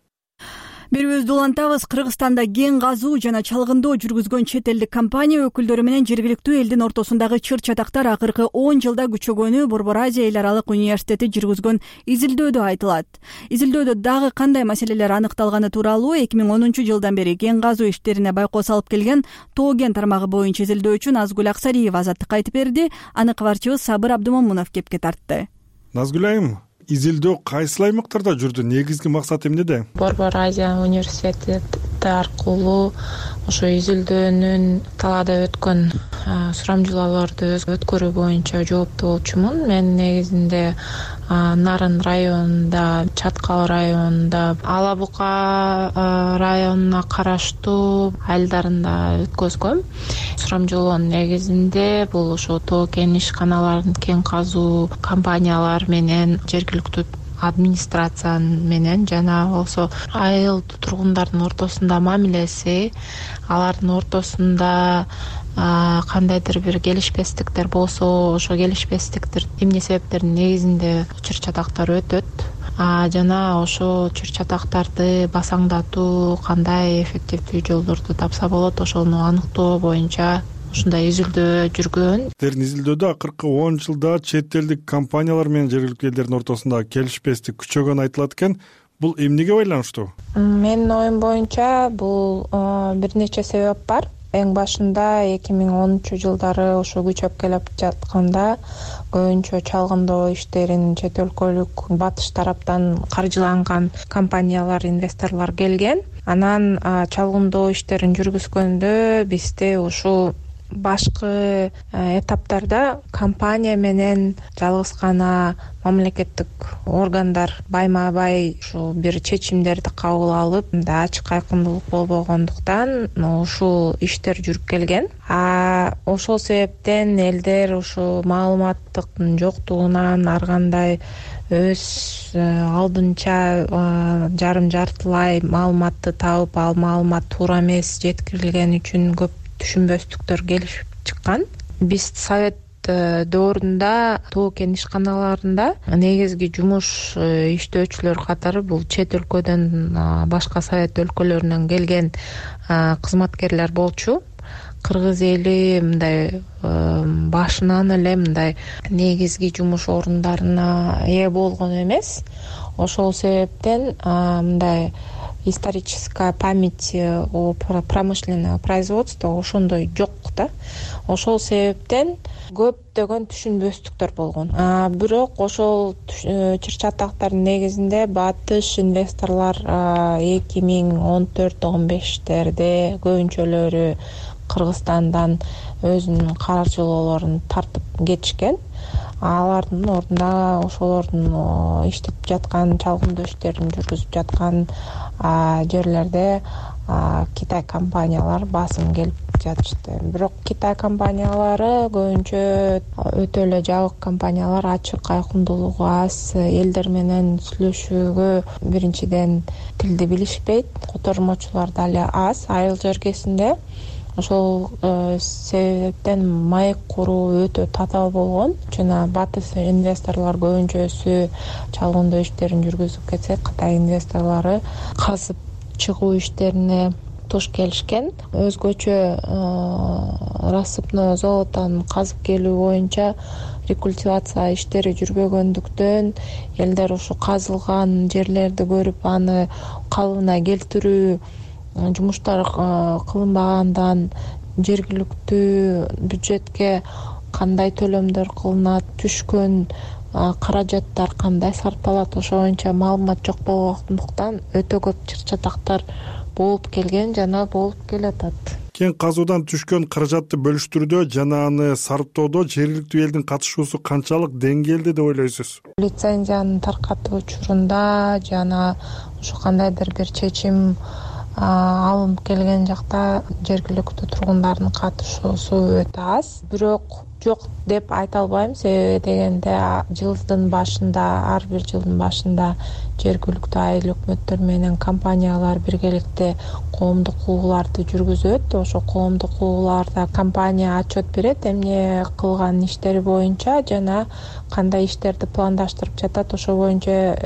[SPEAKER 1] Берүүбүздү улантабыз. Кыргызстанда кен казуу жана чалгындоо жүргүзгөн чет элдик компания өкүлдөрү менен жергиликтүү элдин ортосундагы чыр-чатактар акыркы 10 жылда күчөгөнү Борбор Азия эл аралык университети жүргүзгөн изилдөөдө айтылат. Изилдөөдө дагы кандай маселелер аныкталганы тууралуу 2010 жылдан бери кен казуу иштерине байкоо салып келген Тоо кен тармагы боюнча изилдөөчү Назгүл Аксариева Азаттыкка айтып берди. Аны кабарчыбыз Сабыр Абдымомунов кепке тартты.
[SPEAKER 15] Назгүл айым, изилдөө кайсыл аймактарда жүрдү? Негизги максаты эмнеде?
[SPEAKER 16] Борбор Азия университети аркылуу ошо изилдөөнүн талаада өткөн сурамжылоолорду өткөрүү боюнча жооптуу болчумун. Мен негизинде Нарын районунда, Чаткал районунда, Ала Бука районуна караштуу айылдарында өткөзгөм. Сурамжылоонун негизинде бул ошо тоо кен ишканаларын, кен казуу компаниялар менен жергиликтүү администрация менен жана болсо айыл тургундардын ортосунда мамилеси, алардын ортосунда кандайдыр бир келишпестиктер болсо, ошо келишпестиктер эмне себептердин негизинде чыр-чатактар өтөт. Жана ошо чыр-чатактарды басаңдатуу кандай эффективдүү жолдорду тапса болот, ошону аныктоо боюнча ушундай изилдөө жүргөн.
[SPEAKER 15] Силердин изилдөөдө акыркы 10 жылда чет элдик компаниялар менен жергиликтүү элдердин ортосунда келишпестик күчөгөнү айтылат экен. Бул эмнеге байланыштуу?
[SPEAKER 16] Менин оюм боюнча бул бир нече себеп бар. Эң башында 2010-жылдары ошо күчөп келип жатканда көбүнчө чалгындоо иштерин чет өлкөлүк батыш тараптан каржыланган компаниялар, инвесторлор келген. Анан чалгындоо иштерин жүргүзгөндө бизде ушул башкы этаптарда компания менен жалгыз гана мамлекеттик органдар байма-бай ушул бир чечимдерди кабыл алып, мындай ачык айкындуулук болбогондуктан ушул иштер жүрүп келген. Ошол себептен элдер ушул маалыматтыктын жоктугунан ар кандай өз алдынча жарым-жартылай маалыматты таап, ал маалымат туура эмес жеткирилгени үчүн көп түшүнбөстүктөр келишип чыккан. Биз совет доорунда тоо кен ишканаларында негизги жумуш иштөөчүлөр катары бул чет өлкөдөн, башка совет өлкөлөрүнөн келген кызматкерлер болчу. Кыргыз эли мындай башынан эле мындай негизги жумуш орундарына ээ болгон эмес. Ошол себептен мындай историческая память о промышленного производства ошондой жок да. Ошол себептен көптөгөн түшүнбөстүктөр болгон. Бирок ошол чыр-чатактардын негизинде батыш инвесторлор 2014-15-терде көбүнчөлөрү Кыргызстандан өзүнүн каржылоолорун тартып кетишкен. Алардын ордуна ошолордун иштеп жаткан, чалгындоо иштерин жүргүзүп жаткан жерлерде Китай компаниялар басым келип жатышты. Бирок Китай компаниялары көбүнчө өтө эле жабык компаниялар, ачык айкындуулугу аз, элдер менен сүйлөшүүгө биринчиден тилди билишпейт, котормочулар дагы аз айыл жергесинде. Ошол себептен маек куруу өтө татаал болгон. Жана батыс инвесторлор көбүнчөсү чалгындоо иштерин жүргүзүп кетсе, Кытай инвесторлору казып чыгуу иштерине туш келишкен. Өзгөчө рассыпной золотон казып келүү боюнча рекультивация иштери жүрбөгөндүктөн элдер ушу казылган жерлерди көрүп, аны калыбына келтирүү жумуштар кылынбагандан жергиликтүү бюджетке кандай төлөмдөр кылынат, түшкөн каражаттар кандай сарпталат, ошо боюнча маалымат жок болгондуктан өтө көп чыр-чатактар болуп келген жана болуп келатат.
[SPEAKER 15] Кен казуудан түшкөн каражатты бөлүштүрүүдө жана аны сарптоодо жергиликтүү элдин катышуусу канчалык деңгээлде деп ойлойсуз?
[SPEAKER 16] Лицензияны таркатуу учурунда жана ушу кандайдыр бир чечим алынып келген жакта жергиликтүү тургундардын катышуусу өтө аз. Бирок жок деп айта албайм. Себеби дегенде жылдын башында, ар бир жылдын башында жергиликтүү айыл өкмөттөр менен компаниялар биргеликте коомдук кууларды жүргүзөт. Ошо коомдук кууларда компания отчет берет, эмне кылган иштери боюнча жана кандай иштерди пландаштырып жатат, ошо боюнча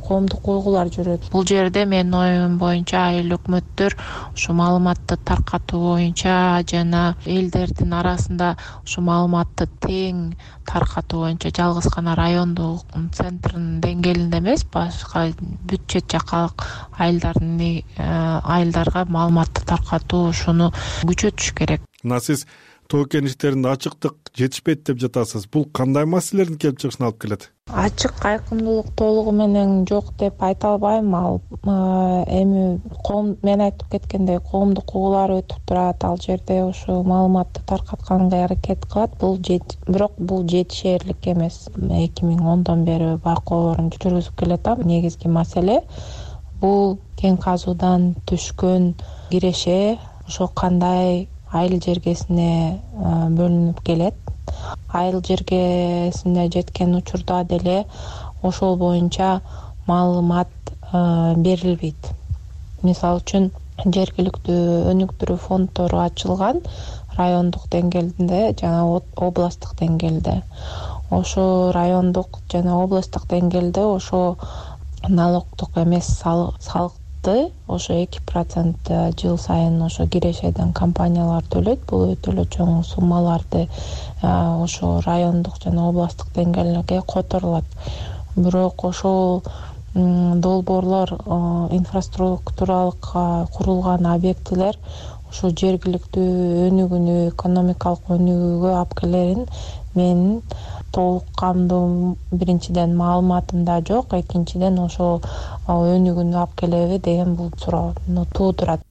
[SPEAKER 16] коомдук куулар жүрөт. Бул жерде менин оюм боюнча айыл өкмөттөр ушу маалыматты таркатуу боюнча жана элдердин арасында ушу маалыматты тең таркатуу боюнча жалгыз гана райондук центрдин деңгээлинде эмес, башка бүт чет жакалык айылдарга маалыматты таркатуу ушуну күчөтүш керек.
[SPEAKER 15] Мына сиз тоо кен иштеринде ачыктык жетишпейт деп жатасыз. Бул кандай маселелердин келип чыгышына алып келет?
[SPEAKER 16] Ачык айкындуулук толугу менен жок деп айта албайм. Ал эми мен айтып кеткендей коомдук куулар өтүп турат, ал жерде ошо маалыматты таркатканга аракет кылат. Бирок бул жетишерлик эмес. 2010дон бери байкоолорун жүргүзүп келатам. Негизги маселе бул кен казуудан түшкөн киреше ошо кандай айыл жергесине бөлүнүп келет. Айыл жергесине жеткен учурда деле ошол боюнча маалымат берилбейт. Мисалы үчүн жергиликтүү өнүктүрүү фонддору ачылган райондук деңгээлде жана областтык деңгээлде. Ошо райондук жана областтык деңгээлде ошо налогдук эмес салыкты ошо 2% жыл сайын ошо кирешеден компаниялар төлөйт. Бул өтө эле чоң суммаларды ошо райондук жана областтык деңгээлге которулат. Бирок ошол долбоорлор, инфраструктуралык курулган объектилер ошо жергиликтүү өнүгүүнү, экономикалык өнүгүүгө алып келерин менин толук камдуу биринчиден маалыматымда жок, экинчиден ошол өнүгүүнү алып келеби деген бул суроону туудурат.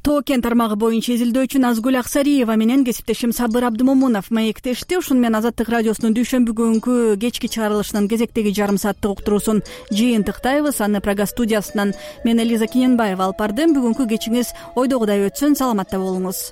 [SPEAKER 1] Тоо кен тармагы боюнча изилдөөчү Назгүл Аксариева менен кесиптешим Сабыр Абдымомунов маектешти. Ушуну менен Азаттык радиосунун дүйшөмбү күнкү кечки чыгарылышынын кезектеги жарым сааттык уктуруусун жыйынтыктайбыз. Аны Прага студиясынан мен Элиза Кененбаева алып бардым. Бүгүнкү кечиңиз ойдогудай өтсүн, саламатта болуңуз.